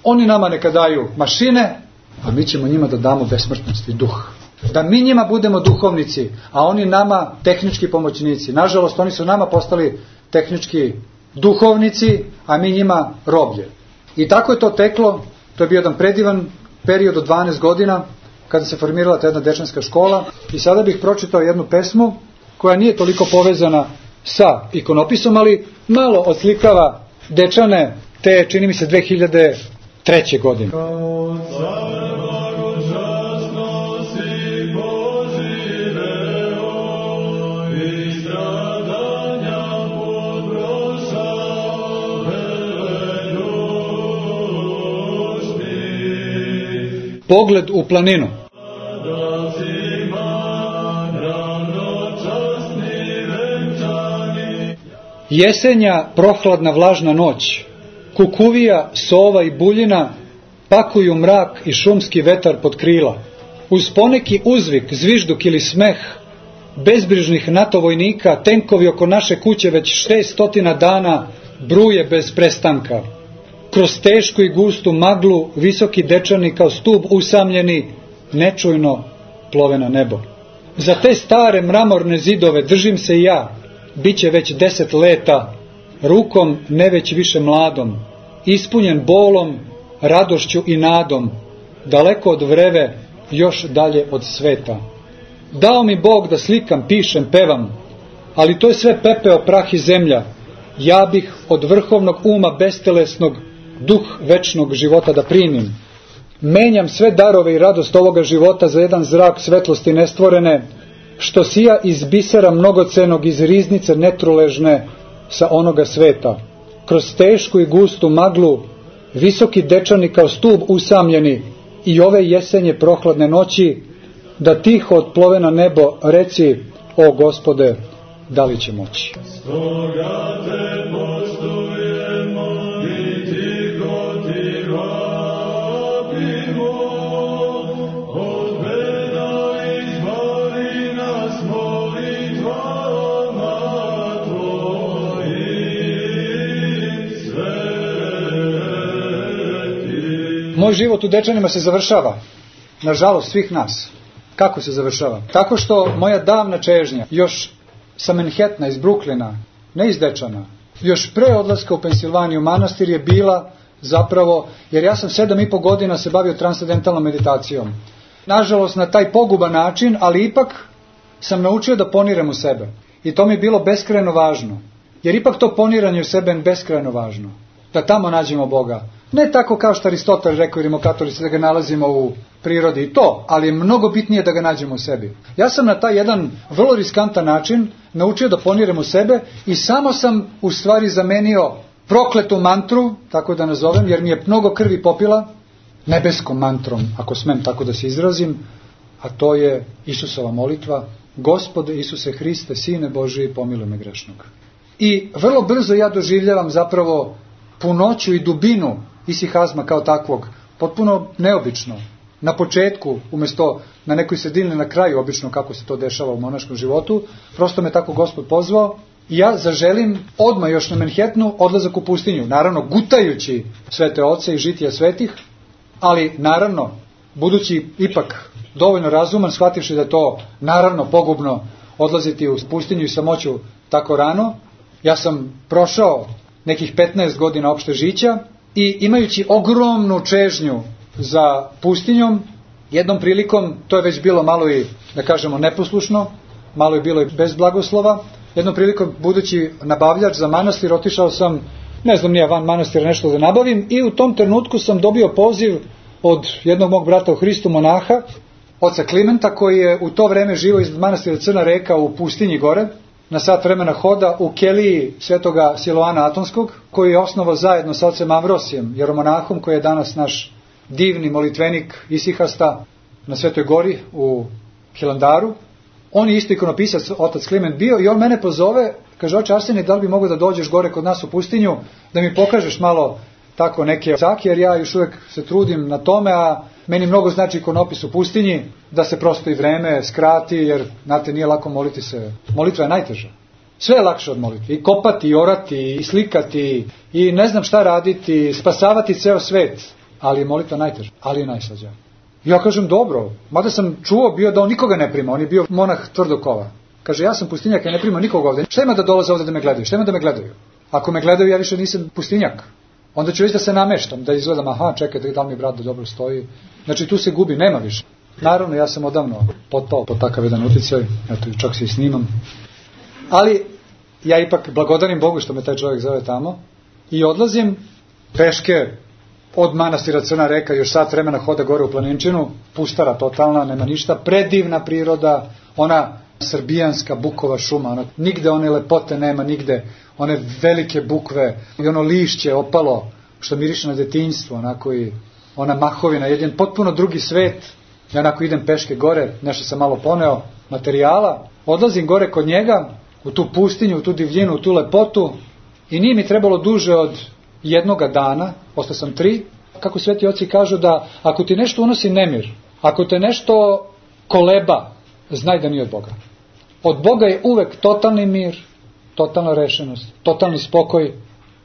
Oni nama neka daju mašine, a mi ćemo njima da damo besmrtnost i duh. Da mi njima budemo duhovnici, a oni nama tehnički pomoćnici. Nažalost, oni su nama postali tehnički duhovnici, a mi njima roblje. I tako je to teklo. To je bio jedan predivan period od 12 godina kada se formirala ta jedna dečanska škola. I sada bih pročitao jednu pesmu koja nije toliko povezana sa ikonopisom, ali malo odslikava dečane te, čini mi se, 2003. godine. Pogled u planinu. Jesenja, prohladna, vlažna noć, kukuvija, sova i buljina pakuju mrak i šumski vetar pod krila. Uz poneki uzvik, zvižduk ili smeh bezbrižnih NATO vojnika, tenkovi oko naše kuće već 600 dana bruje bez prestanka. Kroz tešku i gustu maglu visoki dečani kao stub usamljeni nečujno plove na nebo. Za te stare mramorne zidove držim se i ja, biće već 10 leta, rukom ne već više mladom, ispunjen bolom, radošću i nadom, daleko od vreve, još dalje od sveta. Dao mi Bog da slikam, pišem, pevam, ali to je sve pepeo, prah i zemlja. Ja bih od vrhovnog uma bestelesnog duh večnog života da primim. Menjam sve darove i radost ovoga života za jedan zrak svetlosti nestvorene, što sija iz bisera mnogocenog, iz riznice netruležne sa onoga sveta. Kroz tešku i gustu maglu visoki dečani kao stub usamljeni i ove jesenje prohladne noći, da tiho otplove na nebo, reci, o Gospode, da li će moći? Stoga te poštujemo i tiho ti vapimo, od beda izbavi nas molitvama tvojim svetim. Moj život u Dečanima se završava, nažalost svih nas. Kako se završava? Tako što moja davna čežnja, još sa Manhattana, iz Brooklyna, ne iz Dečana, još pre odlaska u Pensilvaniju manastir je bila zapravo, jer ja sam 7,5 godina se bavio transcendentalnom meditacijom. Nažalost na taj poguban način, ali ipak sam naučio da poniram u sebe. I to mi je bilo beskrajno važno. Jer ipak to poniranje u sebe je beskrajno važno. Da tamo nađemo Boga. Ne tako kao što Aristotel rekao i rimokatolici da ga nalazimo u prirodi i to, ali je mnogo bitnije da ga nađemo u sebi. Ja sam na taj jedan vrlo riskantan način naučio da poniram u sebe i samo sam u stvari zamenio prokletu mantru, tako da nazovem, jer mi je mnogo krvi popila, nebeskom mantrom, ako smem tako da se izrazim, a to je Isusova molitva: Gospode Isuse Hriste, Sine Božiji, pomiluj me grešnog. I vrlo brzo ja doživljavam zapravo punoću i dubinu isihazma kao takvog, potpuno neobično. Na početku, umjesto na nekoj sredini, na kraju, obično kako se to dešava u monaškom životu, prosto me tako Gospod pozvao i ja zaželim odmah još na Manhattanu odlazak u pustinju, naravno gutajući svete oce i žitija svetih, ali naravno, budući ipak dovoljno razuman, shvativši da je to naravno pogubno odlaziti u pustinju i samoću tako rano, ja sam prošao nekih 15 godina opšte žića i imajući ogromnu čežnju za pustinjom, jednom prilikom, to je već bilo malo i, da kažemo, neposlušno, malo je bilo i bez blagoslova, jednom prilikom, budući nabavljač za manastir, otišao sam, ne znam nije van manastira nešto da nabavim, i u tom trenutku sam dobio poziv od jednog mog brata u Hristu, monaha, oca Klimenta, koji je u to vreme živio iznad manastira Crna Reka u pustinji gore, na sat vremena hoda u keliji svetoga Siloana Atonskog, koji je osnovao zajedno sa ocem Amvrosijem, jeromonahom, koji je danas naš divni molitvenik isihasta na Svetoj gori u Hilandaru. On je isto ikonopisac, otac Kliment bio, i on mene pozove, kaže: oče Arsenije, da li bi mogao da dođeš gore kod nas u pustinju, da mi pokažeš malo tako neke cake, jer ja još uvijek se trudim na tome, a meni mnogo znači ikonopis u pustinji, da se prosto i vreme skrati, jer, znate, nije lako moliti se. Molitva je najteža. Sve je lakše od molitve. I kopati, i orati, i slikati, i ne znam šta raditi, spasavati ceo svet. Ali je molitva najteža, ali je najslađa. Ja kažem: dobro, mada sam čuo bio da on nikoga ne prima, on je bio monah tvrdokova. Kaže: ja sam pustinjak, ja ne primam nikoga ovdje. Šta ima da dolaze ovdje da me gledaju? Šta ima da me gledaju? Ako me gledaju, ja više nisam pustinjak. Onda ću već da se nameštam, da izgledam: aha, čekaj, da li mi brat da dobro stoji. Znači tu se gubi, nema više. Naravno, ja sam odavno potpao pod takav jedan utjecaj, eto, čak se i snimam. Ali ja ipak blagodarim Bogu što me taj čovjek zove tamo i odlazim peške od manastira Crna Reka, još sat vremena hoda gore u planinčinu, pustara totalna, nema ništa, predivna priroda, ona srbijanska bukova šuma, ona, nigde one lepote nema, nigde one velike bukve i ono lišće opalo što miriše na detinjstvo, onako, i ona mahovina, jedan potpuno drugi svet. Ja onako idem peške gore, nešto sam malo poneo materijala, odlazim gore kod njega u tu pustinju, u tu divljinu, u tu lepotu, i nije mi trebalo duže od jednoga dana, ostao sam 3, kako sveti oci kažu, da ako ti nešto unosi nemir, ako te nešto koleba, znaj da nije od Boga. Od Boga je uvek totalni mir, totalna rešenost, totalni spokoj,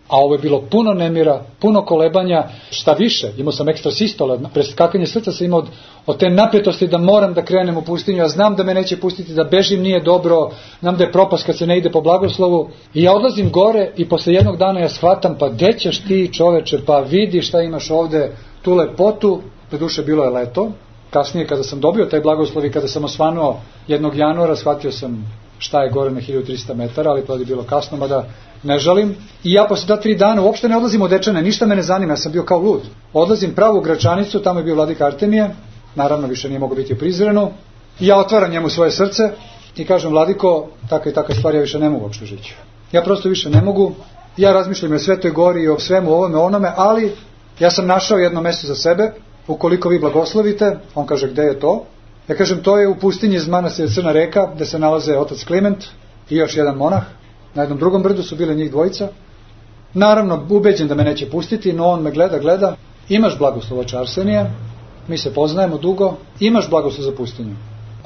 a ovo je bilo puno nemira, puno kolebanja, šta više, imao sam ekstra sistole, preskakanje srca sam imao od te napetosti da moram da krenem u pustinju, ja znam da me neće pustiti, da bežim nije dobro, znam da je propast kad se ne ide po blagoslovu, i ja odlazim gore i posle jednog dana ja shvatam: pa gde ćeš ti, čoveče, pa vidi šta imaš ovde, tu lepotu. Doduše bilo je leto, kasnije kada sam dobio taj blagoslov i kada sam osvanuo 1. januara, shvatio sam šta je gore na 1300 metara, ali to je bilo kasno, mada ne žalim. I ja posle 2-3 dana uopšte ne odlazim od Dečane, ništa me ne zanima, ja sam bio kao lud. Odlazim pravo u Gračanicu, tamo je bio vladika Artemije, naravno više nije mogao biti u Prizrenu, i ja otvaram njemu svoje srce i kažem: vladiko, taka i taka stvar, ja više ne mogu uopšte žići. Ja prosto više ne mogu, ja razmišljam o Svetoj gori i o svemu ovome onome, ali ja sam našao jedno mesto za sebe, ukoliko vi blagoslovite. On kaže: gde je to? Ja kažem: to je u pustinji iz manastira Crna Reka, gde se nalaze otac Kliment i još jedan monah. Na jednom drugom brdu su bile njih dvojica. Naravno, ubeđen da me neće pustiti, no on me gleda. Imaš blagoslov, oče Arsenije, mi se poznajemo dugo, imaš blagoslov za pustinju.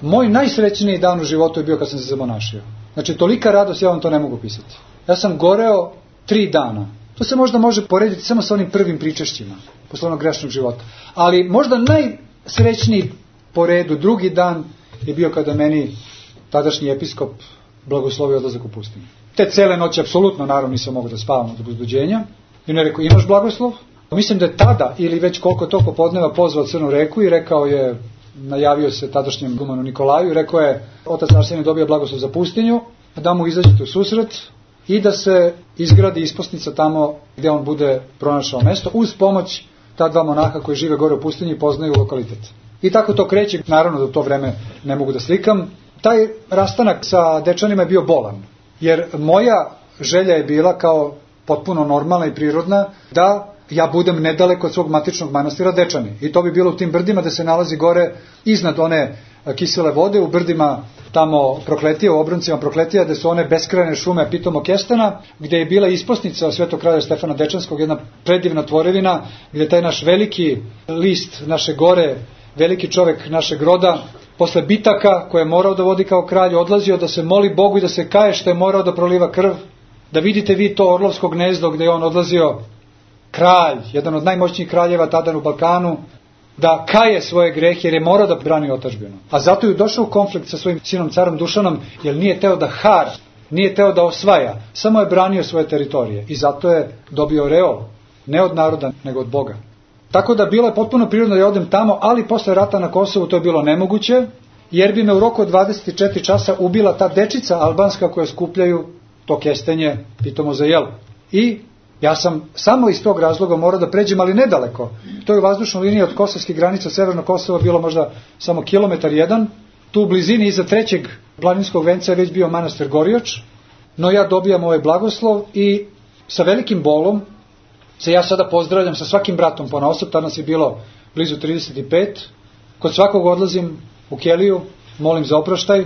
Moj najsrećniji dan u životu je bio kad sam se zamonašio. Znači, tolika radost, ja vam to ne mogu pisati. Ja sam goreo 3 dana. To se možda može porediti samo sa onim prvim pričešćima posle onog grešnog života. Ali možda najsrećniji po redu drugi dan je bio kada meni tadašnji episkop blagoslovio odlazak u pustinju. Te cele noći apsolutno, naravno, nisam mogao da spavam od uzbuđenja. I on je rekao: imaš blagoslov? Mislim da je tada, ili već koliko to popodneva, pozvao Crnu Reku i rekao je, najavio se tadašnjem igumanu Nikolaju i rekao je: otac Arsenije dobio blagoslov za pustinju, da mu izađete u susret. i da se izgradi isposnica tamo gde on bude pronašao mesto, uz pomoć ta dva monaha koji žive gore u pustinji i poznaju lokalitet. I tako to kreće, naravno da u to vreme ne mogu da slikam. Taj rastanak sa Dečanima je bio bolan, jer moja želja je bila kao potpuno normalna i prirodna da ja budem nedaleko od svog matičnog manastira Dečani. I to bi bilo u tim brdima da se nalazi gore iznad one kisele vode, u brdima tamo Prokletija, u obroncima Prokletija, gde su one beskrajne šume pitomog kestena, gde je bila isposnica Svetog kralja Stefana Dečanskog, jedna predivna tvorevina, gde taj naš veliki list naše gore, veliki čovek našeg roda, posle bitaka koje je morao da vodi kao kralj, odlazio da se moli Bogu i da se kaje što je morao da proliva krv, da vidite vi to Orlovsko gnezdo gde je on odlazio, kralj, jedan od najmoćnijih kraljeva tada u Balkanu, da kaje svoje grehe jer je morao da brani otadžbinu. A zato je došao u konflikt sa svojim sinom carom Dušanom, jer nije teo da hara, nije teo da osvaja, samo je branio svoje teritorije i zato je dobio reol, ne od naroda, nego od Boga. Tako da bilo je potpuno prirodno da ja odem tamo, ali posle rata na Kosovu to je bilo nemoguće, jer bi me u roku od 24 časa ubila ta dečica albanska koja skupljaju to kestenje pitomo za jelo. I ja sam samo iz tog razloga morao da pređem, ali nedaleko. To je u vazdušnoj liniji od kosovskih granica Severnog Kosova bilo možda samo kilometar jedan. Tu u blizini iza trećeg planinskog venca je već bio manastir Gorioč, no ja dobijam ovaj blagoslov i sa velikim bolom se ja sada pozdravljam sa svakim bratom ponaosob, tada nas je bilo blizu 35, kod svakog odlazim u keliju, molim za oproštaj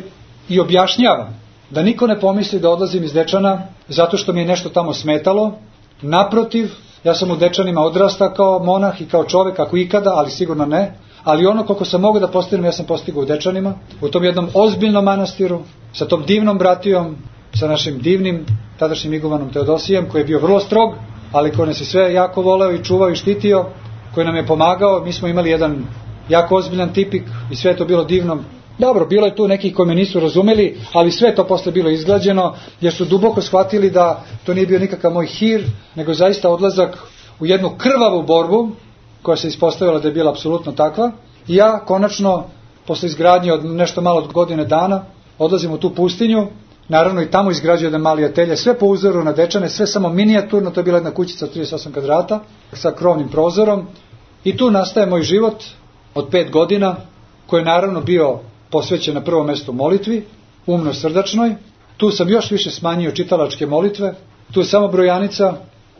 i objašnjavam da niko ne pomisli da odlazim iz Dečana zato što mi je nešto tamo smetalo. Naprotiv, ja sam u Dečanima odrastao kao monah i kao čovek, ako ikada, ali sigurno ne. Ali ono koliko sam mogao da postignem, ja sam postigao u Dečanima, u tom jednom ozbiljnom manastiru, sa tom divnom bratijom, sa našim divnim tadašnjim igovanom Teodosijem, koji je bio vrlo strog, ali koji nas je sve jako voleo i čuvao i štitio, koji nam je pomagao. Mi smo imali jedan jako ozbiljan tipik i sve je to bilo divno. Dobro, bilo je tu nekih koji me nisu razumeli, ali sve je to posle bilo izglađeno, jer su duboko shvatili da to nije bio nikakav moj hir, nego zaista odlazak u jednu krvavu borbu, koja se ispostavila da je bila apsolutno takva. I ja konačno, posle izgradnje od nešto malo od godine dana, odlazim u tu pustinju, naravno i tamo izgrađuje jedan mali atelje, sve po uzoru na Dečane, sve samo minijaturno, to je bila jedna kućica od 38 kvadrata, sa krovnim prozorom, i tu nastaje moj život od 5 godina, koji je naravno bio posvećen na prvom mestu molitvi, umno srdačnoj. Tu sam još više smanjio čitalačke molitve, tu je samo brojanica,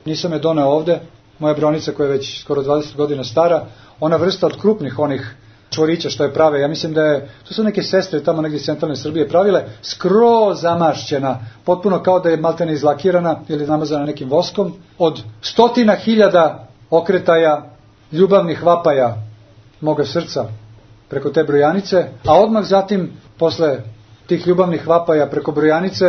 nisam je doneo ovde, moja brojanica koja je već skoro 20 godina stara, ona vrsta od krupnih onih čvorića što je prave, ja mislim da je, to su neke sestre tamo negdje iz centralne Srbije pravile, skroz zamašćena, potpuno kao da je maltene izlakirana ili namazana nekim voskom, od 100.000 okretaja ljubavnih vapaja moga srca preko te brojanice, a odmah zatim, posle tih ljubavnih vapaja preko brojanice,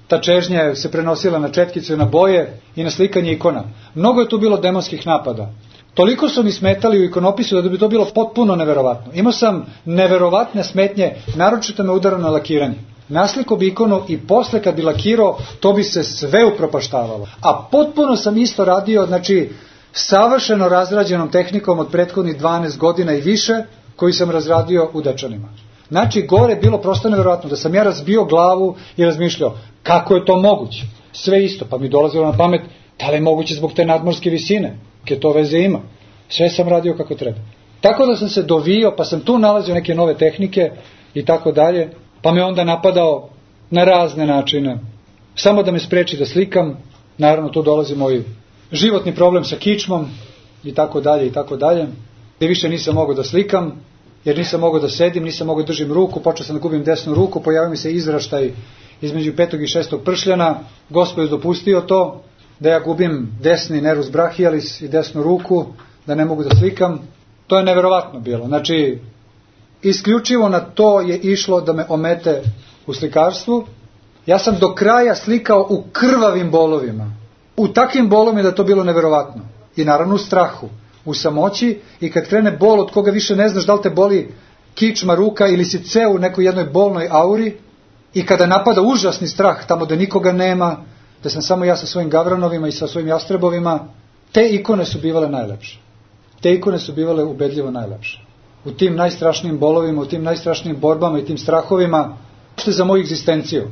ta čežnja se prenosila na četkice, na boje i na slikanje ikona. Mnogo je tu bilo demonskih napada. Toliko su mi smetali u ikonopisu da bi to bilo potpuno neverovatno. Imao sam neverovatne smetnje, naročito me udara na lakiranje. Nasliko bi ikonu i posle kad bi lakirao, to bi se sve upropaštavalo. A potpuno sam isto radio, znači, savršeno razrađenom tehnikom od prethodnih 12 godina i više, koji sam razradio u Dečanima. Znači, gore je bilo prosto neverovatno, da sam ja razbio glavu i razmišljao, kako je to moguće? Sve isto, pa mi dolazilo na pamet, da li je moguće zbog te nadmorske visine? Ke to veze ima. Sve sam radio kako treba. Tako da sam se dovio, pa sam tu nalazio neke nove tehnike i tako dalje, pa me onda napadao na razne načine. Samo da me spreči da slikam, naravno tu dolazi moj životni problem sa kičmom i tako dalje i tako dalje. Gde više nisam mogao da slikam, jer nisam mogao da sedim, nisam mogao da držim ruku, počeo sam da gubim desnu ruku, pojavio mi se izraštaj između 5. i 6. pršljana, Gospod je dopustio to, da ja gubim desni nervus brachialis i desnu ruku, da ne mogu da slikam. To je neverovatno bilo. Znači, isključivo na to je išlo da me omete u slikarstvu. Ja sam do kraja slikao u krvavim bolovima. U takvim bolovima da je to bilo neverovatno. I naravno u strahu, u samoći, i kad krene bol od koga više ne znaš da li te boli kičma, ruka ili si ceo u nekoj jednoj bolnoj auri, i kada napada užasni strah tamo da nikoga nema, da sam samo ja sa svojim gavranovima i sa svojim jastrebovima, te ikone su bivale najlepše. Te ikone su bivale ubedljivo najlepše. U tim najstrašnijim bolovima, u tim najstrašnijim borbama i tim strahovima, što je za moju egzistenciju.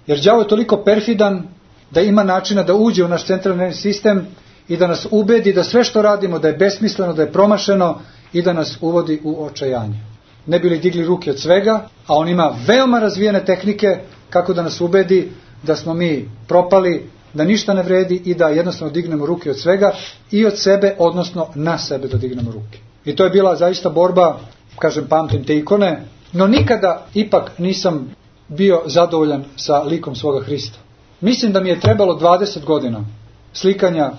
Jer đavo je toliko perfidan da ima načina da uđe u naš centralni nervni sistem i da nas ubedi da sve što radimo da je besmisleno, da je promašeno i da nas uvodi u očajanje. Ne bi li digli ruke od svega, a on ima veoma razvijene tehnike kako da nas ubedi da smo mi propali, da ništa ne vredi i da jednostavno dignemo ruke od svega i od sebe, odnosno na sebe da dignemo ruke. I to je bila zaista borba, kažem, pamtim te ikone, no nikada ipak nisam bio zadovoljan sa likom svoga Hrista. Mislim da mi je trebalo 20 godina slikanja,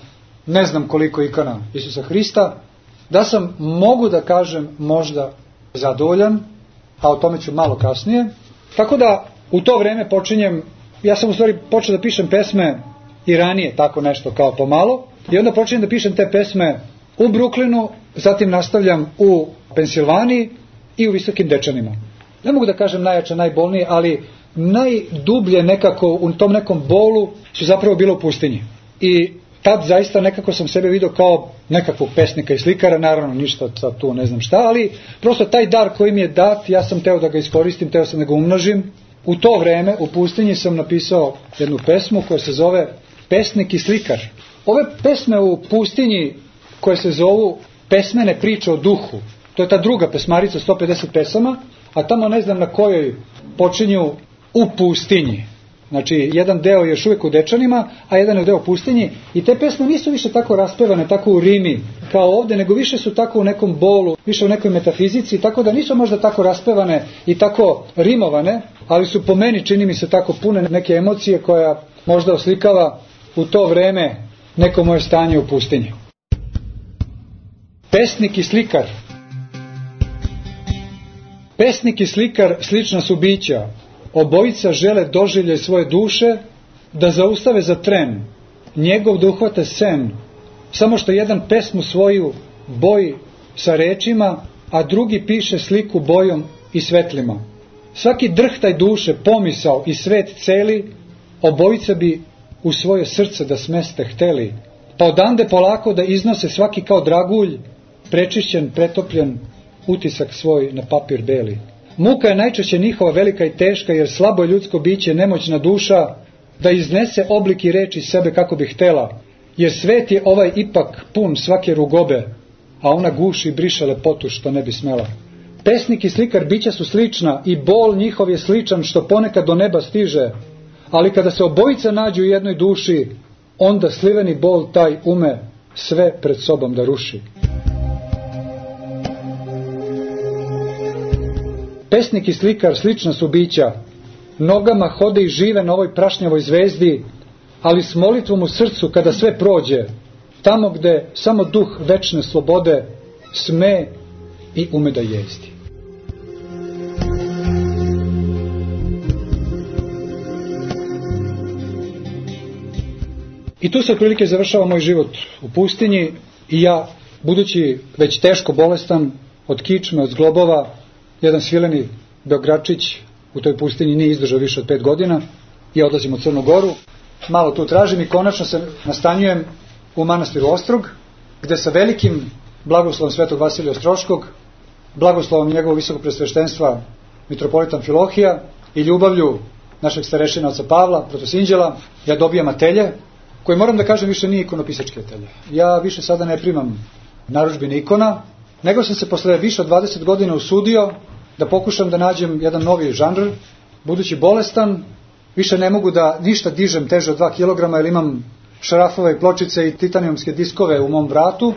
ne znam koliko ikona Isusa Hrista, da sam, mogu da kažem, možda zadovoljan, a o tome ću malo kasnije. Tako da u to vreme počinjem, ja sam u stvari počeo da pišem pesme i ranije, tako nešto kao pomalo, i onda počinjem da pišem te pesme u Brooklynu, zatim nastavljam u Pensilvaniji i u Visokim Dečanima. Ne mogu da kažem najjače, najbolnije, ali najdublje nekako u tom nekom bolu su zapravo bilo u pustinji. I tad zaista nekako sam sebe vidio kao nekakvog pesnika i slikara, naravno ništa tu ne znam šta, ali prosto taj dar koji mi je dat, ja sam teo da ga iskoristim, teo sam da ga umnožim. U to vreme u pustinji sam napisao jednu pesmu koja se zove Pesnik i slikar. Ove pesme u pustinji koje se zovu Pesmene priče o duhu, to je ta druga pesmarica, 150 pesama, a tamo ne znam na kojoj počinju u pustinji. Znači, jedan deo je još uvijek u Dečanima, a jedan je deo u pustinji. I te pesme nisu više tako raspevane, tako u rimi kao ovdje, nego više su tako u nekom bolu, više u nekoj metafizici, tako da nisu možda tako raspevane i tako rimovane, ali su po meni, čini mi se, tako pune neke emocije koja možda oslikava u to vreme neko moje stanje u pustinji. Pesnik i slikar. Pesnik i slikar slična su bića. Obojica žele doživljaj svoje duše, da zaustave za tren, njegov da uhvate sen, samo što jedan pesmu svoju boji sa rečima, a drugi piše sliku bojom i svetlima. Svaki drhtaj duše, pomisao i svet celi, obojica bi u svoje srce da smeste hteli, pa odande polako da iznose svaki kao dragulj, prečišćen, pretopljen, utisak svoj na papir beli. Muka je najčešće njihova velika i teška, jer slabo je ljudsko biće, nemoćna duša, da iznese oblik i reči sebe kako bi htela, jer svet je ovaj ipak pun svake rugobe, a ona guši i briše lepotu što ne bi smela. Pesnik i slikar bića su slična i bol njihov je sličan što ponekad do neba stiže, ali kada se obojica nađu u jednoj duši, onda sliveni bol taj ume sve pred sobom da ruši. Pesnik i slikar slična su bića, nogama hode i žive na ovoj prašnjavoj zvezdi, ali s molitvom u srcu kada sve prođe, tamo gde samo duh večne slobode sme i ume da jezdi. I tu se otprilike završava moj život u pustinji i ja, budući već teško bolestan od kičme, od zglobova, jedan svileni Beogradčić u toj pustinji nije izdržao više od 5 godina i odlazim u Crnu Goru. Malo tu tražim i konačno se nastanjujem u manastiru Ostrog, gde sa velikim blagoslovom Svetog Vasilija Ostroškog, blagoslovom njegovog visokog presveštenstva mitropolitan Filohija i ljubavlju našeg starešina oca Pavla, protosinđela, ja dobijam atelje, koji, moram da kažem, više nije ikonopisački atelje. Ja više sada ne primam narudžbine ikona, nego sam se posle više od 20 godina usudio da pokušam da nađem jedan novi žanr. Budući bolestan, više ne mogu da ništa dižem teže od 2 kg, jer imam šarafove i pločice i titanijumske diskove u mom vratu.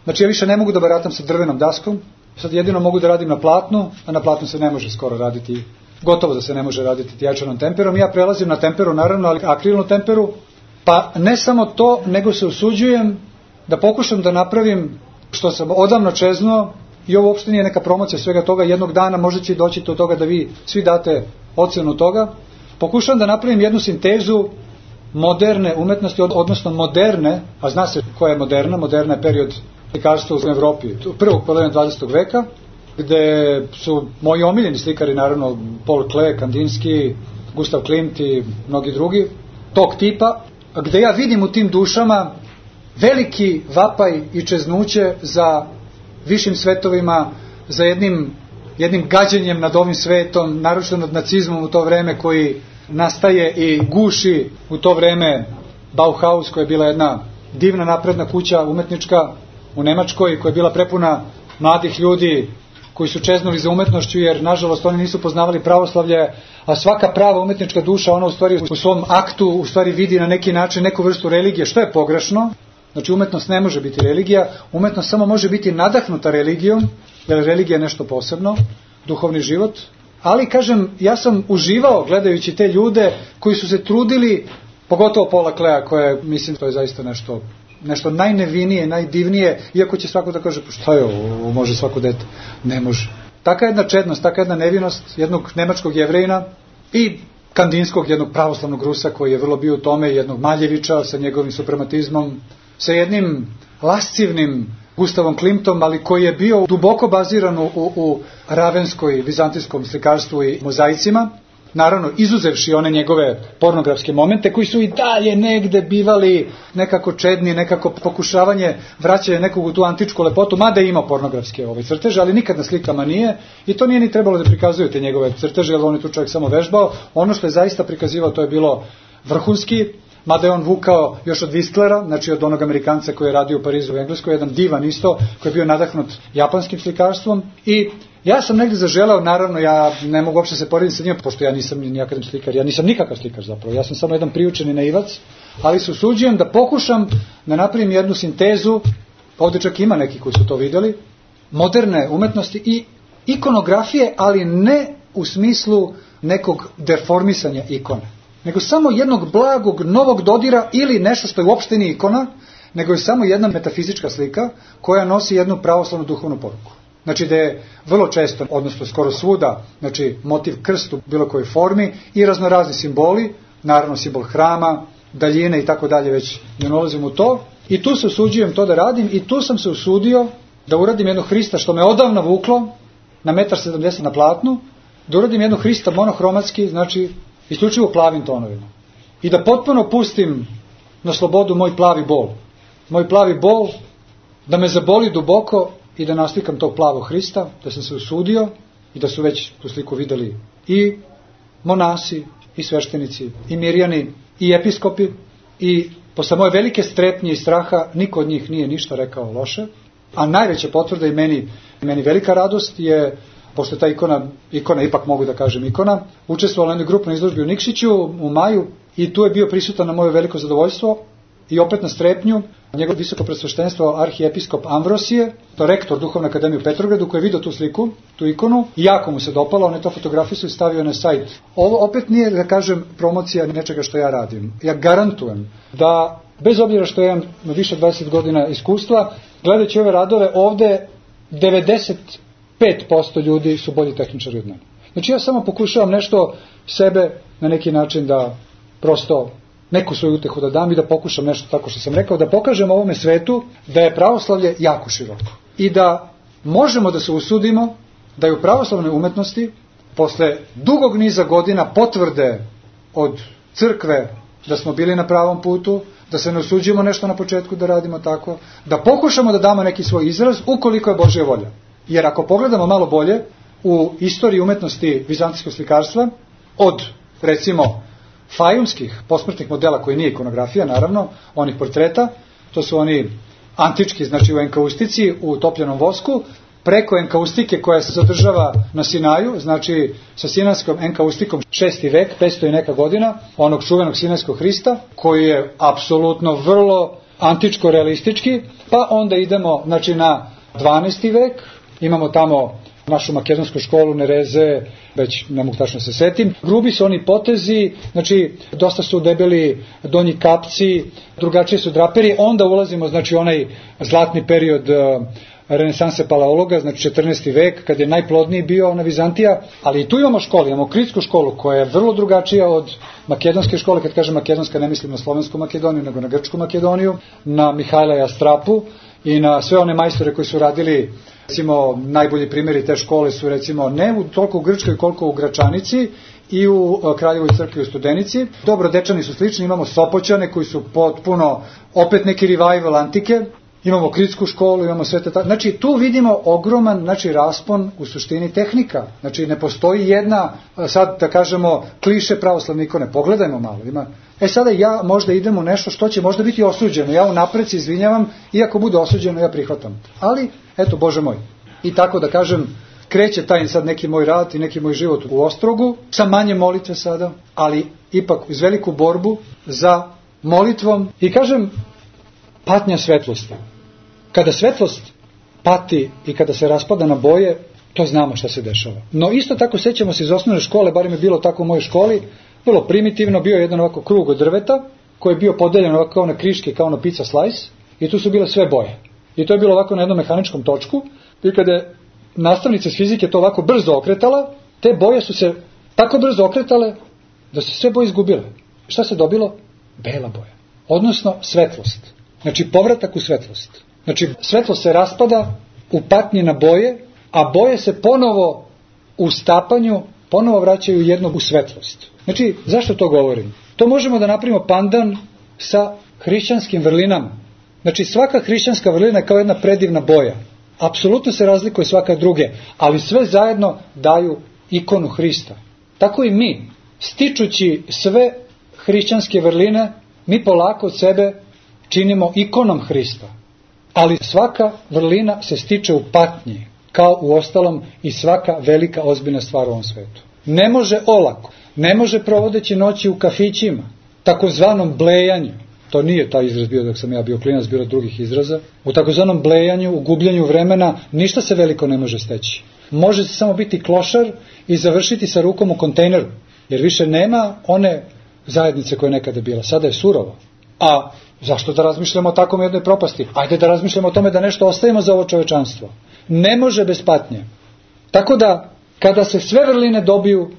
Znači ja više ne mogu da baratam sa drvenom daskom. Sad jedino mogu da radim na platnu, a na platnu se ne može skoro raditi, gotovo da se ne može raditi tijačanom temperom. Ja prelazim na temperu, naravno, ali akrilnu temperu. Pa ne samo to, nego se usuđujem da pokušam da napravim što sam odavno čeznuo, i ovo uopšte nije neka promocija svega toga, jednog dana možda će doći do toga da vi svi date ocenu toga. Pokušam da napravim jednu sintezu moderne umetnosti, odnosno moderne, a zna se koja je moderna, moderna je period slikarstva u Evropi, prvog polovine 20. veka, gde su moji omiljeni slikari, naravno Paul Klee, Kandinsky, Gustav Klimt i mnogi drugi, tog tipa, gde ja vidim u tim dušama veliki vapaj i čeznuće za višim svetovima, za jednim gađenjem nad ovim svetom, naročito nad nacizmom u to vreme koji nastaje i guši u to vreme Bauhaus, koja je bila jedna divna napredna kuća umetnička u Nemačkoj, koja je bila prepuna mladih ljudi koji su čeznuli za umetnošću, jer nažalost oni nisu poznavali pravoslavlje, a svaka prava umetnička duša, ona u stvari u svom aktu u stvari vidi na neki način neku vrstu religije, što je pogrešno. Znači umetnost ne može biti religija, umetnost samo može biti nadahnuta religijom, jer religija je nešto posebno, duhovni život. Ali kažem, ja sam uživao gledajući te ljude koji su se trudili, pogotovo Paula Klea, koja mislim to je zaista nešto najnevinije, najdivnije, iako će svako da kaže, pa šta je ovo, može svako dete, ne može. Taka jedna čednost, taka jedna nevinost jednog nemačkog Jevrejina i Kandinskog, jednog pravoslavnog Rusa koji je vrlo bio u tome, jednog Maljevića sa njegovim suprematizmom, sa jednim lascivnim Gustavom Klimtom, ali koji je bio duboko baziran u ravenskoj, vizantijskom slikarstvu i mozaicima, naravno izuzevši one njegove pornografske momente koji su i dalje negde bivali nekako čedni, nekako pokušavanje vraćanja nekog u tu antičku lepotu, mada je imao pornografske crteže, ali nikad na slikama nije, i to nije ni trebalo da prikazuju te njegove crteže, jer on je tu čovjek samo vežbao. Ono što je zaista prikazivao, to je bilo vrhunski, mada je on vukao još od Whistlera, znači od onog Amerikanca koji je radio u Parizu u Engleskoj, jedan divan isto, koji je bio nadahnut japanskim slikarstvom. I ja sam negdje zaželao, naravno ja ne mogu uopšte se porediti sa njim, pošto ja nisam ni akademski slikar, ja nisam nikakav slikar zapravo, ja sam samo jedan priučeni naivac, ali se usuđujem da pokušam da napravim jednu sintezu, ovdje čak ima neki koji su to vidjeli, moderne umetnosti i ikonografije, ali ne u smislu nekog deformisanja ikone, nego samo jednog blagog novog dodira ili nešto što je uopšte nije ikona, nego je samo jedna metafizička slika koja nosi jednu pravoslavnu duhovnu poruku. Znači da je vrlo često, odnosno skoro svuda, znači motiv krst u bilo kojoj formi i raznorazni simboli, naravno simbol hrama, daljine i tako dalje, već ne ulazim u to. I tu se usuđujem to da radim i tu sam se usudio da uradim jednog Hrista što me odavno vuklo na 1,70 m na platnu, da uradim jednog Hrista monohromatski, znači isključivo plavim tonovima. I da potpuno pustim na slobodu moj plavi bol. Moj plavi bol da me zaboli duboko i da naslikam tog plavog Hrista, da sam se usudio i da su već tu sliku videli i monasi, i sveštenici, i mirjani, i episkopi, i posle moje velike strepnje i straha niko od njih nije ništa rekao loše, a najveća potvrda i meni velika radost je, pošto ta ikona, ipak mogu da kažem ikona, učestvovala na jednoj grupnoj izložbi u Nikšiću u maju i tu je bio prisutan na moje veliko zadovoljstvo i opet na strepnju njegov visoko presveštenstvo arhijepiskop Amvrosije, to rektor Duhovne akademije u Petrogradu, koji je vidio tu sliku, tu ikonu, i jako mu se dopalo, on je to fotografisao i stavio na sajt. Ovo opet nije, da kažem, promocija nečega što ja radim. Ja garantujem da, bez obzira što imam više od 20 godina iskustva, gledajući ove radove, ovde 95% ljudi su bolji tehničari od mene. Znači ja samo pokušavam nešto sebe na neki način da prosto neku svoju utehu da dam i da pokušam nešto tako što sam rekao, da pokažem ovome svetu da je pravoslavlje jako široko. I da možemo da se usudimo da je u pravoslavnoj umetnosti posle dugog niza godina potvrde od crkve da smo bili na pravom putu, da se ne usuđimo nešto na početku da radimo tako, da pokušamo da damo neki svoj izraz ukoliko je Božja volja. Jer ako pogledamo malo bolje u istoriji umetnosti vizantijskog slikarstva, od recimo fajumskih posmrtnih modela koji nije ikonografija, naravno, onih portreta, to su oni antički, znači u enkaustici, u topljenom vosku, preko enkaustike koja se zadržava na Sinaju, znači sa sinanskom enkaustikom 6. vek, 500 i neka godina, onog čuvenog sinajskog Hrista, koji je apsolutno vrlo antičko-realistički, pa onda idemo znači, na 12. vek, imamo tamo našu makedonsku školu, Nereze, već ne mogu tačno se setim. Grubi su oni potezi, znači dosta su debeli donji kapci, drugačije su draperi, onda ulazimo znači onaj zlatni period renesanse paleologa, znači 14. vek, kad je najplodniji bio ona Vizantija, ali i tu imamo školu, imamo kritsku školu koja je vrlo drugačija od makedonske škole, kad kažem makedonska ne mislim na slovensku Makedoniju, nego na grčku Makedoniju, na Mihajla Jastrapu i na sve one majstore koji su radili. Recimo, najbolji primjeri te škole su recimo ne toliko u Grčkoj koliko u Gračanici i u Kraljevoj crkvi u Studenici. Dobro, Dečani su slični, imamo Sopoćane koji su potpuno opet neki revival antike, imamo kritsku školu, imamo sve te znači tu vidimo ogroman znači raspon u suštini tehnika. Znači ne postoji jedna, sad da kažemo, kliše pravoslavne ikone. Pogledajmo malo, Sada ja možda idem u nešto što će možda biti osuđeno. Ja unapred se izvinjavam, iako bude osuđeno, ja prihvatam. Ali, eto, Bože moj. I tako da kažem, kreće taj sad neki moj rad i neki moj život u Ostrogu, sa manje molitve sada, ali ipak uz veliku borbu za molitvom. I kažem, patnja svetlosti. Kada svetlost pati i kada se raspada na boje, to znamo šta se dešava. No isto tako sećamo se iz osnovne škole, barem je bilo tako u mojoj školi, vrlo primitivno, bio je jedan ovako krug od drveta, koji je bio podeljen ovako kao na kriške, kao na pizza slice, i tu su bile sve boje. I to je bilo ovako na jednom mehaničkom točku, i kada je nastavnica iz fizike to ovako brzo okretala, te boje su se tako brzo okretale, da su sve boje izgubile. Šta se dobilo? Bela boja. Odnosno svetlost. Znači povratak u svetlost. Znači svetlost se raspada u patnji na boje, a boje se ponovo u stapanju ponovo vraćaju jednog u svetlost. Znači, zašto to govorim? To možemo da napravimo pandan sa hrišćanskim vrlinama. Znači, svaka hrišćanska vrlina je kao jedna predivna boja. Apsolutno se razlikuje svaka druge, ali sve zajedno daju ikonu Hrista. Tako i mi, stičući sve hrišćanske vrline, mi polako od sebe činimo ikonom Hrista. Ali svaka vrlina se stiče u patnji, kao u ostalom i svaka velika ozbiljna stvar u ovom svetu. Ne može olako, ne može provodeći noći u kafićima, takozvanom blejanju. To nije taj izraz bio dok sam ja bio klinac, bilo drugih izraza. U takozvanom blejanju, u gubljenju vremena, ništa se veliko ne može steći. Može se samo biti klošar i završiti sa rukom u kontejneru, jer više nema one zajednice koja je nekada bila. Sada je surovo. A zašto da razmišljamo o takvom jednoj propasti? Ajde da razmišljamo o tome da nešto ostavimo za ovo čovečanstvo. Ne može bez patnje. Tako da, kada se sve vrline dobiju,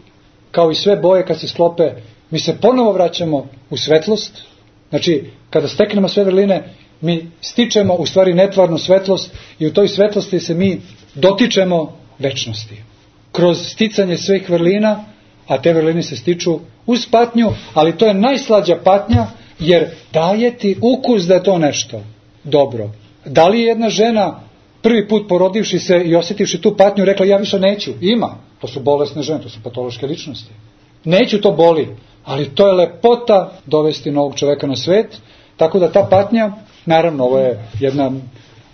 kao i sve boje kad se sklope, mi se ponovo vraćamo u svetlost. Znači, kada steknemo sve vrline, mi stičemo u stvari netvarnu svetlost i u toj svetlosti se mi dotičemo večnosti. Kroz sticanje svih vrlina, a te vrline se stiču uz patnju, ali to je najslađa patnja, jer daje ti ukus da je to nešto dobro. Da li je jedna žena prvi put porodivši se i osjetivši tu patnju rekla ja više neću? Ima. To su bolesne žene, to su patološke ličnosti. Neću, to boli, ali to je lepota dovesti novog čoveka na svet, tako da ta patnja, naravno ovo je jedna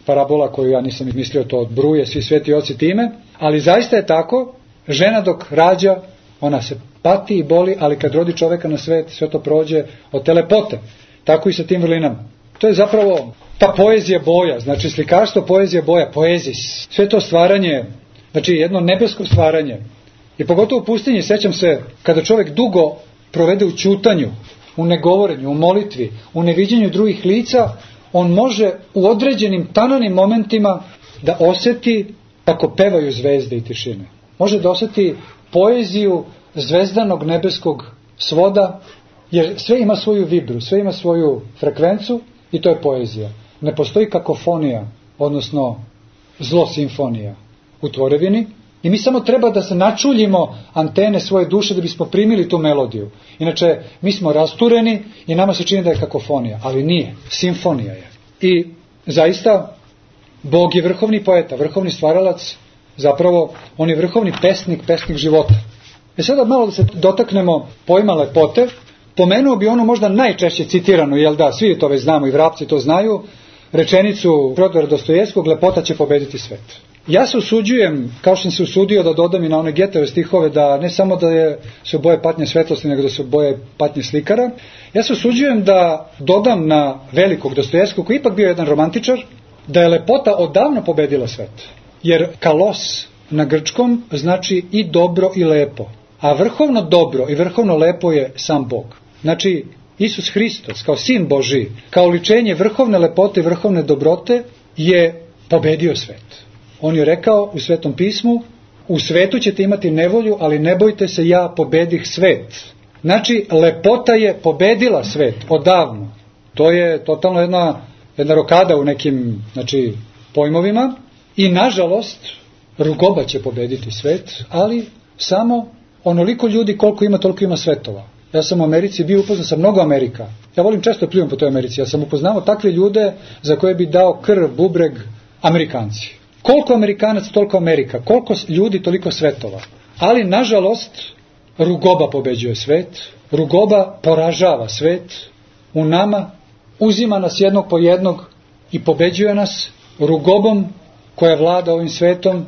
parabola koju ja nisam mislio, to odbruje svi sveti oci time, ali zaista je tako, žena dok rađa, ona se pati i boli, ali kad rodi čoveka na svet, sve to prođe od te lepote. Tako i sa tim vrlinama. To je zapravo ta poezija boja, znači slikarstvo, poezija boja, poezis. Sve to stvaranje, znači jedno nebesko stvaranje. I pogotovo u pustinji, sećam se, kada čovjek dugo provede u ćutanju, u negovorenju, u molitvi, u neviđenju drugih lica, on može u određenim tananim momentima da osjeti kako pevaju zvezde i tišine. Može da osjeti poeziju zvezdanog nebeskog svoda, jer sve ima svoju vibru, sve ima svoju frekvencu i to je poezija. Ne postoji kakofonija, odnosno zlo simfonija u tvorevini i mi samo treba da se načuljimo antene svoje duše da bismo primili tu melodiju. Inače, mi smo rastureni i nama se čini da je kakofonija, ali nije, simfonija je. I zaista, Bog je vrhovni poeta, vrhovni stvaralac, zapravo on je vrhovni pesnik, pesnik života. Sada malo da se dotaknemo pojma lepote. Pomenuo bi ono možda najčešće citirano, jel da, svi to već znamo i vrapci to znaju, rečenicu Fjodora Dostojevskog, lepota će pobediti svet. Ja se usuđujem, kao što sam se usudio da dodam i na one Getove stihove, da ne samo da se boje patnje svetlosti, nego da se boje patnje slikara. Ja se usuđujem da dodam na velikog Dostojevskog, koji ipak bio jedan romantičar, da je lepota odavno pobedila svet. Jer kalos na grčkom znači i dobro i lepo. A vrhovno dobro i vrhovno lepo je sam Bog. Znači, Isus Hristos, kao sin Božji, kao oličenje vrhovne lepote i vrhovne dobrote, je pobedio svet. On je rekao u Svetom pismu, u svetu ćete imati nevolju, ali ne bojte se, ja pobedih svet. Znači, lepota je pobedila svet odavno. To je totalno jedna rokada u nekim pojmovima. I nažalost, rugoba će pobediti svet, ali samo onoliko ljudi koliko ima, toliko ima svetova. Ja sam u Americi bio upoznao sa mnogo Amerika. Ja volim često pljujem po toj Americi. Ja sam upoznao takve ljude za koje bi dao krv, bubreg, Amerikanci. Koliko Amerikanac, toliko Amerika. Koliko ljudi, toliko svetova. Ali, nažalost, rugoba pobeđuje svet, rugoba poražava svet u nama, uzima nas jednog po jednog i pobeđuje nas rugobom koja vlada ovim svetom,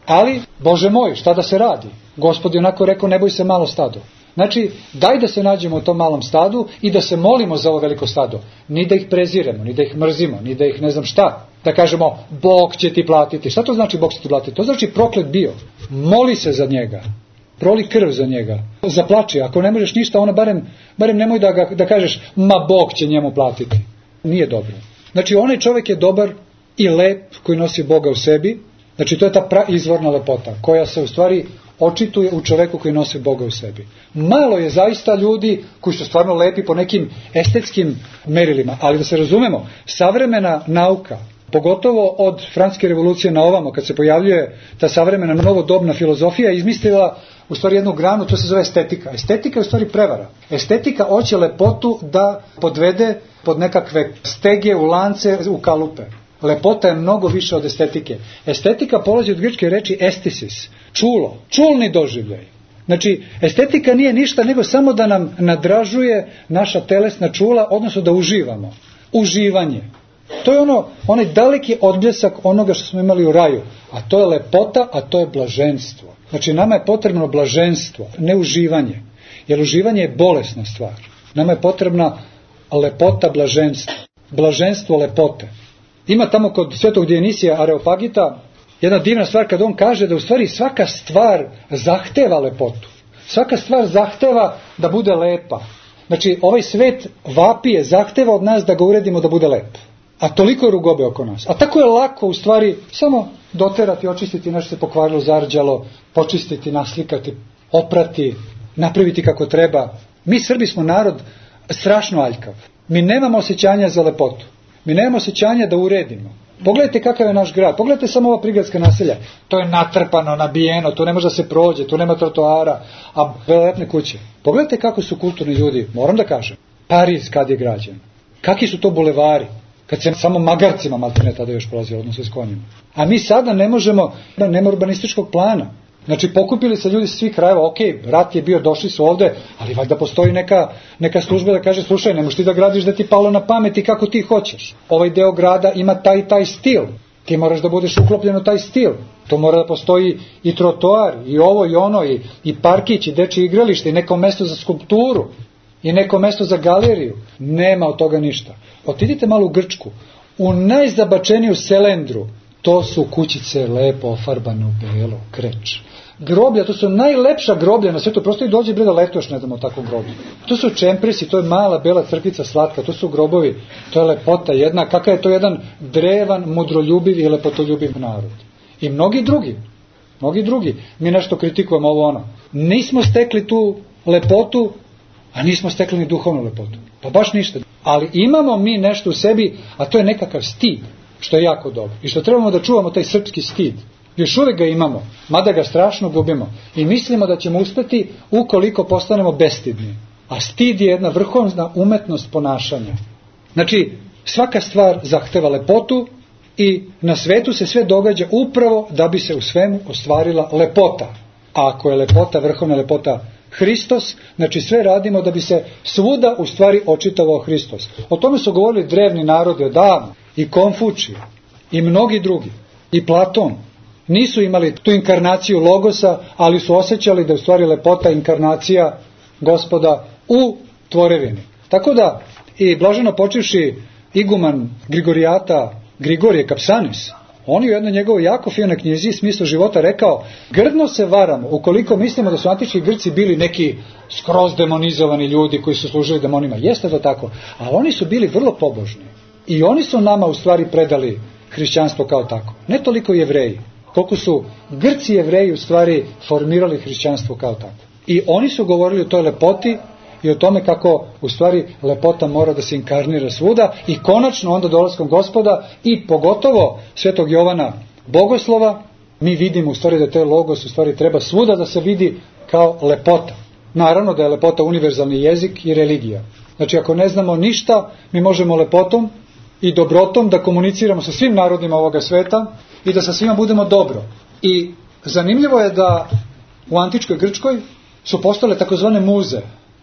ali, Bože moj, šta da se radi? Gospod je onako rekao, ne boj se malo stado. Znači, daj da se nađemo u tom malom stadu i da se molimo za ovo veliko stado. Ni da ih preziremo, ni da ih mrzimo, ni da ih ne znam šta. Da kažemo, Bog će ti platiti. Šta to znači Bog će ti platiti? To znači proklet bio. Moli se za njega. Proli krv za njega. Zaplači. Ako ne možeš ništa, ona barem nemoj da kažeš, ma Bog će njemu platiti. Nije dobro. Znači, onaj čovjek je dobar i lep koji nosi Boga u sebi. Znači, to je ta izvorna lepota koja se u stvari očituje u čoveku koji nosi Boga u sebi. Malo je zaista ljudi koji su stvarno lepi po nekim estetskim merilima, ali da se razumemo, savremena nauka, pogotovo od Francuske revolucije na ovamo, kad se pojavljuje ta savremena novodobna filozofija, izmislila u stvari jednu granu, to se zove estetika. Estetika je u stvari prevara. Estetika hoće lepotu da podvede pod nekakve stege, u lance, u kalupe. Lepota je mnogo više od estetike. Estetika polazi od grčke reči estesis, čulo, čulni doživljaj. Znači, estetika nije ništa nego samo da nam nadražuje naša telesna čula, odnosno da uživamo. Uživanje. To je onaj daleki odbljesak onoga što smo imali u raju. A to je lepota, a to je blaženstvo. Znači, nama je potrebno blaženstvo, ne uživanje. Jer uživanje je bolesna stvar. Nama je potrebna lepota, blaženstvo. Blaženstvo lepote. Ima tamo kod svetog Dionisija Areopagita jedna divna stvar kad on kaže da u stvari svaka stvar zahteva lepotu. Svaka stvar zahteva da bude lepa. Znači, ovaj svet vapije, zahteva od nas da ga uredimo da bude lep. A toliko je rugobe oko nas. A tako je lako u stvari samo doterati, očistiti nešto se pokvarilo, zarđalo, počistiti, naslikati, oprati, napraviti kako treba. Mi Srbi smo narod strašno aljkav. Mi nemamo osjećanja za lepotu. Mi nemamo osjećanja da uredimo. Pogledajte kakav je naš grad. Pogledajte samo ova prigradska naselja. To je natrpano, nabijeno, tu ne može da se prođe, tu nema trotoara, a velelepne kuće. Pogledajte kako su kulturni ljudi, moram da kažem. Pariz kad je građen. Kakvi su to bulevari? Kad se samo magarcima maltene tada još prolazilo, odnosno s konjima. A mi sada ne možemo, nema urbanističkog plana. Znači, pokupili se ljudi s svih krajeva, ok, rat je bio, došli su ovde, ali valjda postoji neka služba da kaže, slušaj, ne možeš ti da gradiš da ti palo na pamet i kako ti hoćeš. Ovaj deo grada ima taj stil. Ti moraš da budeš uklopljen u taj stil. To mora da postoji i trotoar, i ovo, i ono, i parkić, i dečje igralište, i neko mesto za skulpturu, i neko mesto za galeriju. Nema od toga ništa. Otidite malo u Grčku, u najzabačeniju selendru, to su kućice lepo ofarbane u belo, kreč. Groblja, to su najlepša groblja na svijetu, prosto i dođe bre da letuješ, ne znam, o takvom groblju. To su čempresi, to je mala bela crkvica slatka, to su grobovi, to je lepota jedna, kakav je to jedan drevan, mudroljubiv i lepotoljubiv narod. I mnogi drugi, mi nešto kritikujemo ovo ono. Nismo stekli tu lepotu, a nismo stekli ni duhovnu lepotu. Pa baš ništa. Ali imamo mi nešto u sebi, a to je nekakav stid, što je jako dobro. I što trebamo da čuvamo taj srpski stid. Još uvijek ga imamo, mada ga strašno gubimo. I mislimo da ćemo uspeti ukoliko postanemo bestidni. A stid je jedna vrhovna umetnost ponašanja. Znači, svaka stvar zahteva lepotu i na svetu se sve događa upravo da bi se u svemu ostvarila lepota. A ako je lepota, vrhovna lepota Hristos, znači sve radimo da bi se svuda u stvari očitovao Hristos. O tome su govorili drevni narodi odavno, i Konfučije, i mnogi drugi, i Platon. Nisu imali tu inkarnaciju logosa, ali su osjećali da je u stvari lepota inkarnacija Gospoda u tvorevini. Tako da i blaženo počivši iguman Grigorijata Grigorije Kapsanis, on je u jednoj njegovoj jako finoj knjizi Smisao života rekao, grdno se varamo ukoliko mislimo da su antički Grci bili neki skroz demonizovani ljudi koji su služili demonima. Jeste to tako, ali oni su bili vrlo pobožni. I oni su nama u stvari predali hrišćanstvo kao tako. Ne toliko Jevreji, koliko su Grci Jevreji u stvari formirali hrišćanstvo kao tako. I oni su govorili o toj lepoti i o tome kako u stvari lepota mora da se inkarnira svuda i konačno onda dolaskom Gospoda i pogotovo svetog Jovana Bogoslova mi vidimo u stvari da taj logos u stvari treba svuda da se vidi kao lepota. Naravno da je lepota univerzalni jezik i religija. Znači ako ne znamo ništa, mi možemo lepotom i dobrotom da komuniciramo sa svim narodima ovoga sveta i da sa svima budemo dobro. I zanimljivo je da u antičkoj Grčkoj su postale takozvane muze.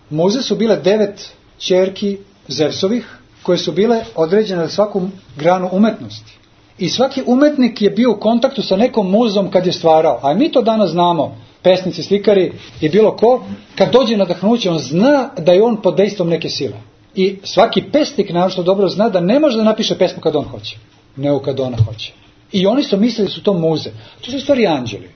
Muze su bile 9 ćerki Zevsovih, koje su bile određene za svaku granu umetnosti. I svaki umetnik je bio u kontaktu sa nekom muzom kad je stvarao. A mi to danas znamo, pesnici, slikari i bilo ko, kad dođe nadahnuće, on zna da je on pod dejstvom neke sile. I svaki pesnik naravno dobro zna da ne može da napiše pesmu kad on hoće, nego kad ona hoće. I oni su mislili da su to muze. To su stvari anđeli.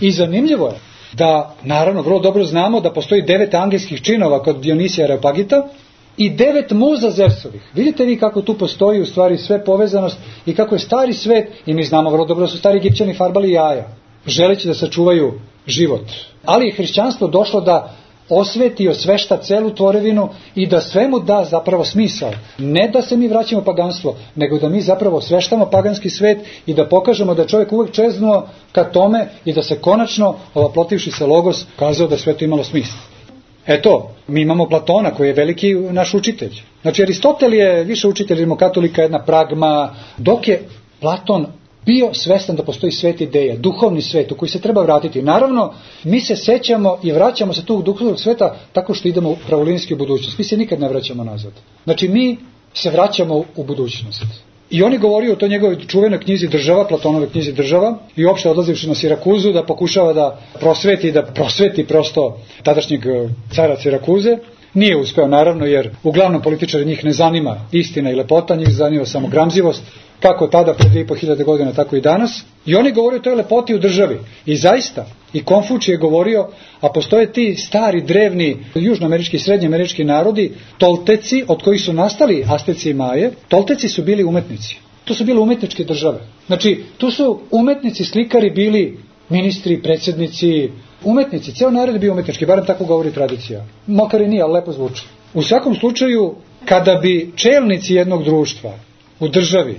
I zanimljivo je da, naravno, vrlo dobro znamo da postoji 9 angelskih činova kod Dionisija Areopagita i 9 muza Zevsovih. Vidite vi kako tu postoji u stvari sve povezanost i kako je stari svet, i mi znamo vrlo dobro da su stari Egipćani farbali jaja, želeći da sačuvaju život. Ali je hrišćanstvo došlo da osveti i osvešta celu tvorevinu i da svemu da zapravo smisao. Ne da se mi vraćamo paganstvo, nego da mi zapravo osveštamo paganski svet i da pokažemo da je čovjek uvek čeznuo ka tome i da se konačno, ovaplotivši se logos, kazao da sve to imalo smisla. Eto, mi imamo Platona koji je veliki naš učitelj. Znači Aristotel je više učitelj rimokatolika, jedna pragma, dok je Platon bio svestan da postoji svet ideja, duhovni svet u koji se treba vratiti. Naravno, mi se sećamo i vraćamo se tog duhovnog sveta tako što idemo pravolinijski u budućnost. Mi se nikad ne vraćamo nazad. Znači, mi se vraćamo u budućnost. I on je govorio o toj njegovoj čuvenoj knjizi Država, Platonove knjizi Država, i uopšte odlazivši na Sirakuzu da pokušava da prosveti prosto tadašnjeg cara Sirakuze. Nije uspeo, naravno, jer uglavnom političari njih ne zanima istina i lepota, njih zanima samo gramzivost, kako tada pre 2500 godina, tako i danas. I on je govorio o toj lepoti u državi. I zaista, i Konfučije je govorio, a postoje ti stari, drevni, južnoamerički i srednjoamerički narodi, Tolteci, od kojih su nastali Asteci i Maje. Tolteci su bili umetnici. To su bile umetničke države. Znači, tu su umetnici, slikari bili ministri, predsjednici, umetnici. Ceo narod je bio umetnički, barem tako govori tradicija. Makar i nije, ali lepo zvuči. U svakom slučaju, kada bi čelnici jednog društva u državi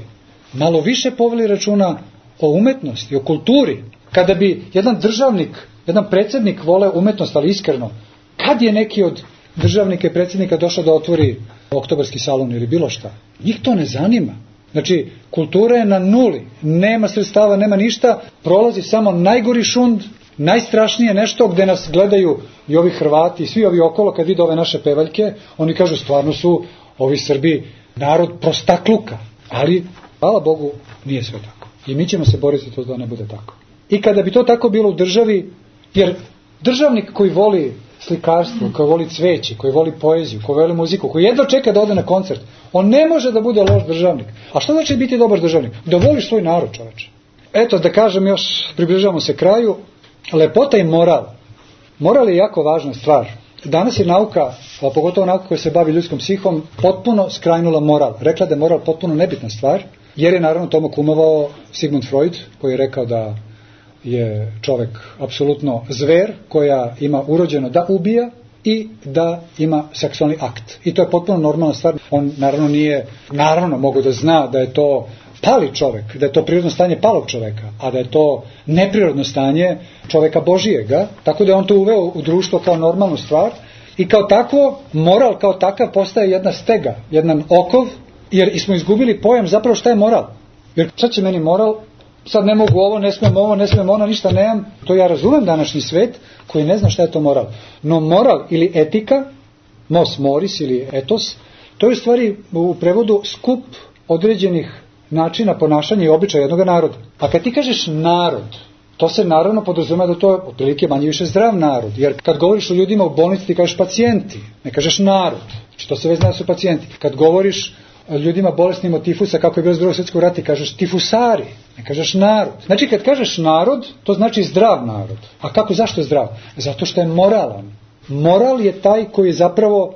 malo više poveli računa o umetnosti, o kulturi, kada bi jedan državnik, jedan predsjednik voleo umetnost, ali iskreno, kad je neki od državnika i predsjednika došao da otvori oktobarski salon ili bilo šta, njih to ne zanima. Znači, kultura je na nuli, nema sredstava, nema ništa, prolazi samo najgori šund, najstrašnije nešto gde nas gledaju i ovi Hrvati i svi ovi okolo kad vide ove naše pevaljke, oni kažu stvarno su ovi Srbi narod prostakluka, ali hvala Bogu nije sve tako. I mi ćemo se boriti to da ne bude tako. I kada bi to tako bilo u državi, jer državnik koji voli slikarstvo, koji voli cveće, koji voli poeziju, koji voli muziku, koji jedva čeka da ode na koncert, on ne može da bude loš državnik. A što znači biti dobar državnik? Da voliš svoj narod, čoveče. Eto, da kažem još, približavamo se kraju, lepota i moral. Moral je jako važna stvar. Danas je nauka, a pogotovo nauka koja se bavi ljudskom psihom, potpuno skrajnula moral. Rekla da je moral potpuno nebitna stvar, jer je naravno tomu kumovao Sigmund Freud, koji je rekao da je čovek apsolutno zver koja ima urođeno da ubija i da ima seksualni akt. I to je potpuno normalna stvar. On naravno mogu da zna da je to pali čovek, da je to prirodno stanje palog čoveka, a da je to neprirodno stanje čoveka Božijega, tako da je on to uveo u društvo kao normalnu stvar i kao takvo, moral kao takav postaje jedna stega, jedan okov, jer smo izgubili pojam zapravo šta je moral. Jer šta će meni moral? Sad ne mogu ovo, ne smijem ono, ništa nemam. To ja razumem današnji svet koji ne zna šta je to moral. No moral ili etika, mos moris ili etos, to je u stvari u prevodu skup određenih načina ponašanja i običaja jednog naroda. A kad ti kažeš narod, to se naravno podrazumeva da to je otprilike manje više zdrav narod. Jer kad govoriš o ljudima u bolnici ti kažeš pacijenti, ne kažeš narod. Znači to se već zna da su pacijenti. Kad govoriš o ljudima bolesnim od tifusa, kako je bilo iz Drugog svjetskog rata, ti kažeš tifusari, ne kažeš narod. Znači kad kažeš narod, to znači zdrav narod. A zašto je zdrav? Zato što je moralan. Moral je taj koji je zapravo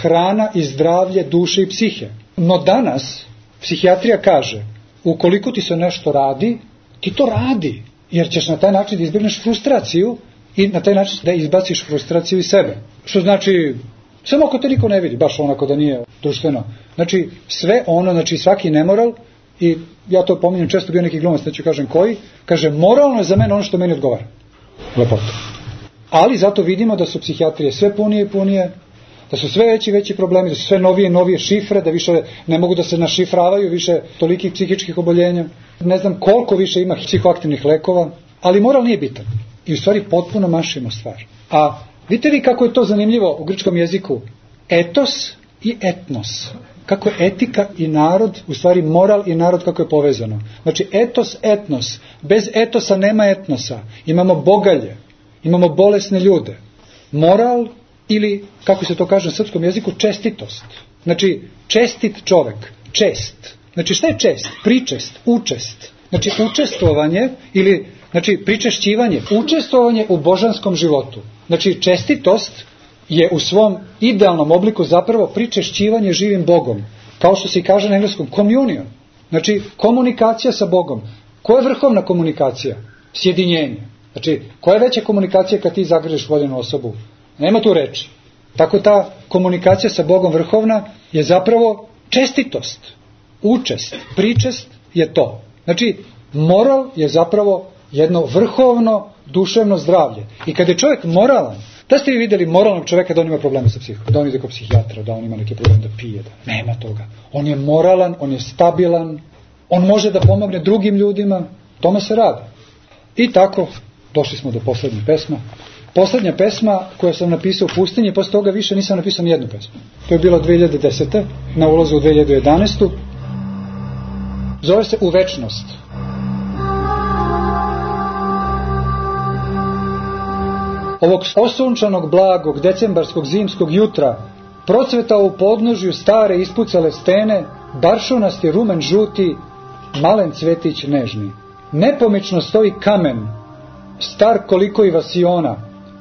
hrana i zdravlje duše i psihe. No danas psihijatrija kaže, ukoliko ti se nešto radi, ti to radi, jer ćeš na taj način da izbjegneš frustraciju i na taj način da izbaciš frustraciju iz sebe. Što znači, samo ako te niko ne vidi, baš onako da nije društveno. Znači, sve ono, znači svaki nemoral, i ja to pominjem često, bio neki glumac, neću kažem koji, kaže, moralno je za mene ono što meni odgovara. Lepota. Ali zato vidimo da su psihijatrije sve punije i punije, da su sve veći i veći problemi, da su sve novije i novije šifre, da više ne mogu da se našifravaju više tolikih psihičkih oboljenja. Ne znam koliko više ima psihoaktivnih lekova, ali moral nije bitan. I u stvari potpuno mašimo stvar. A Vidite li kako je to zanimljivo u grčkom jeziku? Etos i etnos. Kako je etika i narod, u stvari moral i narod kako je povezano. Znači etos, etnos. Bez etosa nema etnosa. Imamo bogalje, imamo bolesne ljude. Moral ili, kako se to kaže na srpskom jeziku, čestitost. Znači čestit čovek, čest. Znači šta je čest? Pričest, učest. Znači učestvovanje ili pričešćivanje, učestvovanje u božanskom životu. Znači čestitost je u svom idealnom obliku zapravo pričešćivanje živim Bogom. Kao što se i kaže na engleskom communion. Znači komunikacija sa Bogom. Koja je vrhovna komunikacija? Sjedinjenje. Znači koja je veća komunikacija kad ti zagrliš voljenu osobu? Nema tu reči. Tako ta komunikacija sa Bogom vrhovna je zapravo čestitost. Učest, pričest je to. Znači moral je zapravo jedno vrhovno duševno zdravlje. I kad je čovjek moralan, da ste vi vidjeli moralnog čovjeka da on ima probleme sa psihom, da on ide kod psihijatra, da on ima neke probleme da pije, da nema toga. On je moralan, on je stabilan, on može da pomogne drugim ljudima, tome se radi. I tako, došli smo do poslednje pesme. Poslednja pesma koju sam napisao u pustinji, posle toga više nisam napisao ni jednu pesmu. To je bilo 2010. na ulazu u 2011. Zove se U večnost. Ovog osunčanog, blagog, decembarskog, zimskog jutra procvetao u podnožju stare ispucale stene, baršunasti rumen žuti, malen cvetić nežni. Nepomično stoji kamen, star koliko i vasiona,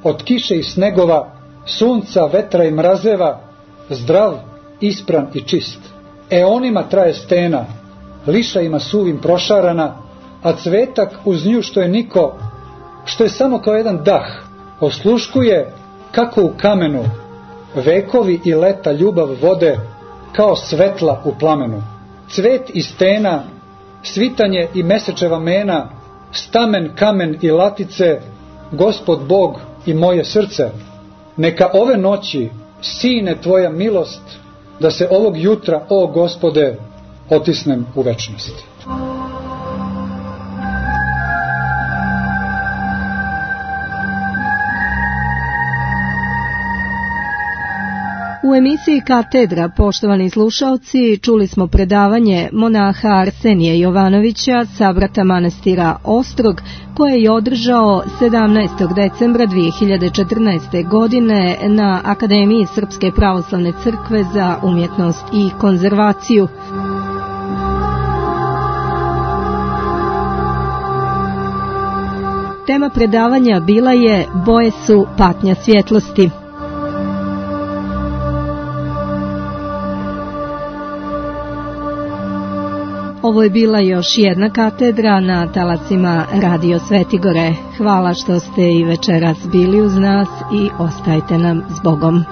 od kiše i snegova, sunca, vetra i mrazeva, zdrav, ispran i čist. Eonima traje stena, lišajima suvim prošarana, a cvetak uz nju što je niko, što je samo kao jedan dah, osluškuje kako u kamenu vekovi i leta ljubav vode kao svetla u plamenu. Cvet i stena, svitanje i mesečeva mena, stamen, kamen i latice, Gospod Bog i moje srce. Neka ove noći sine tvoja milost, da se ovog jutra, o Gospode, otisnem u večnost. U emisiji Katedra, poštovani slušaoci, čuli smo predavanje monaha Arsenija Jovanovića, sabrata manastira Ostrog, koje je održao 17. decembra 2014. godine na Akademiji Srpske pravoslavne crkve za umjetnost i konzervaciju. Tema predavanja bila je Boje su patnja svjetlosti. Ovo je bila još jedna katedra na talacima Radio Svetigore. Hvala što ste i večeras bili uz nas i ostajte nam s Bogom.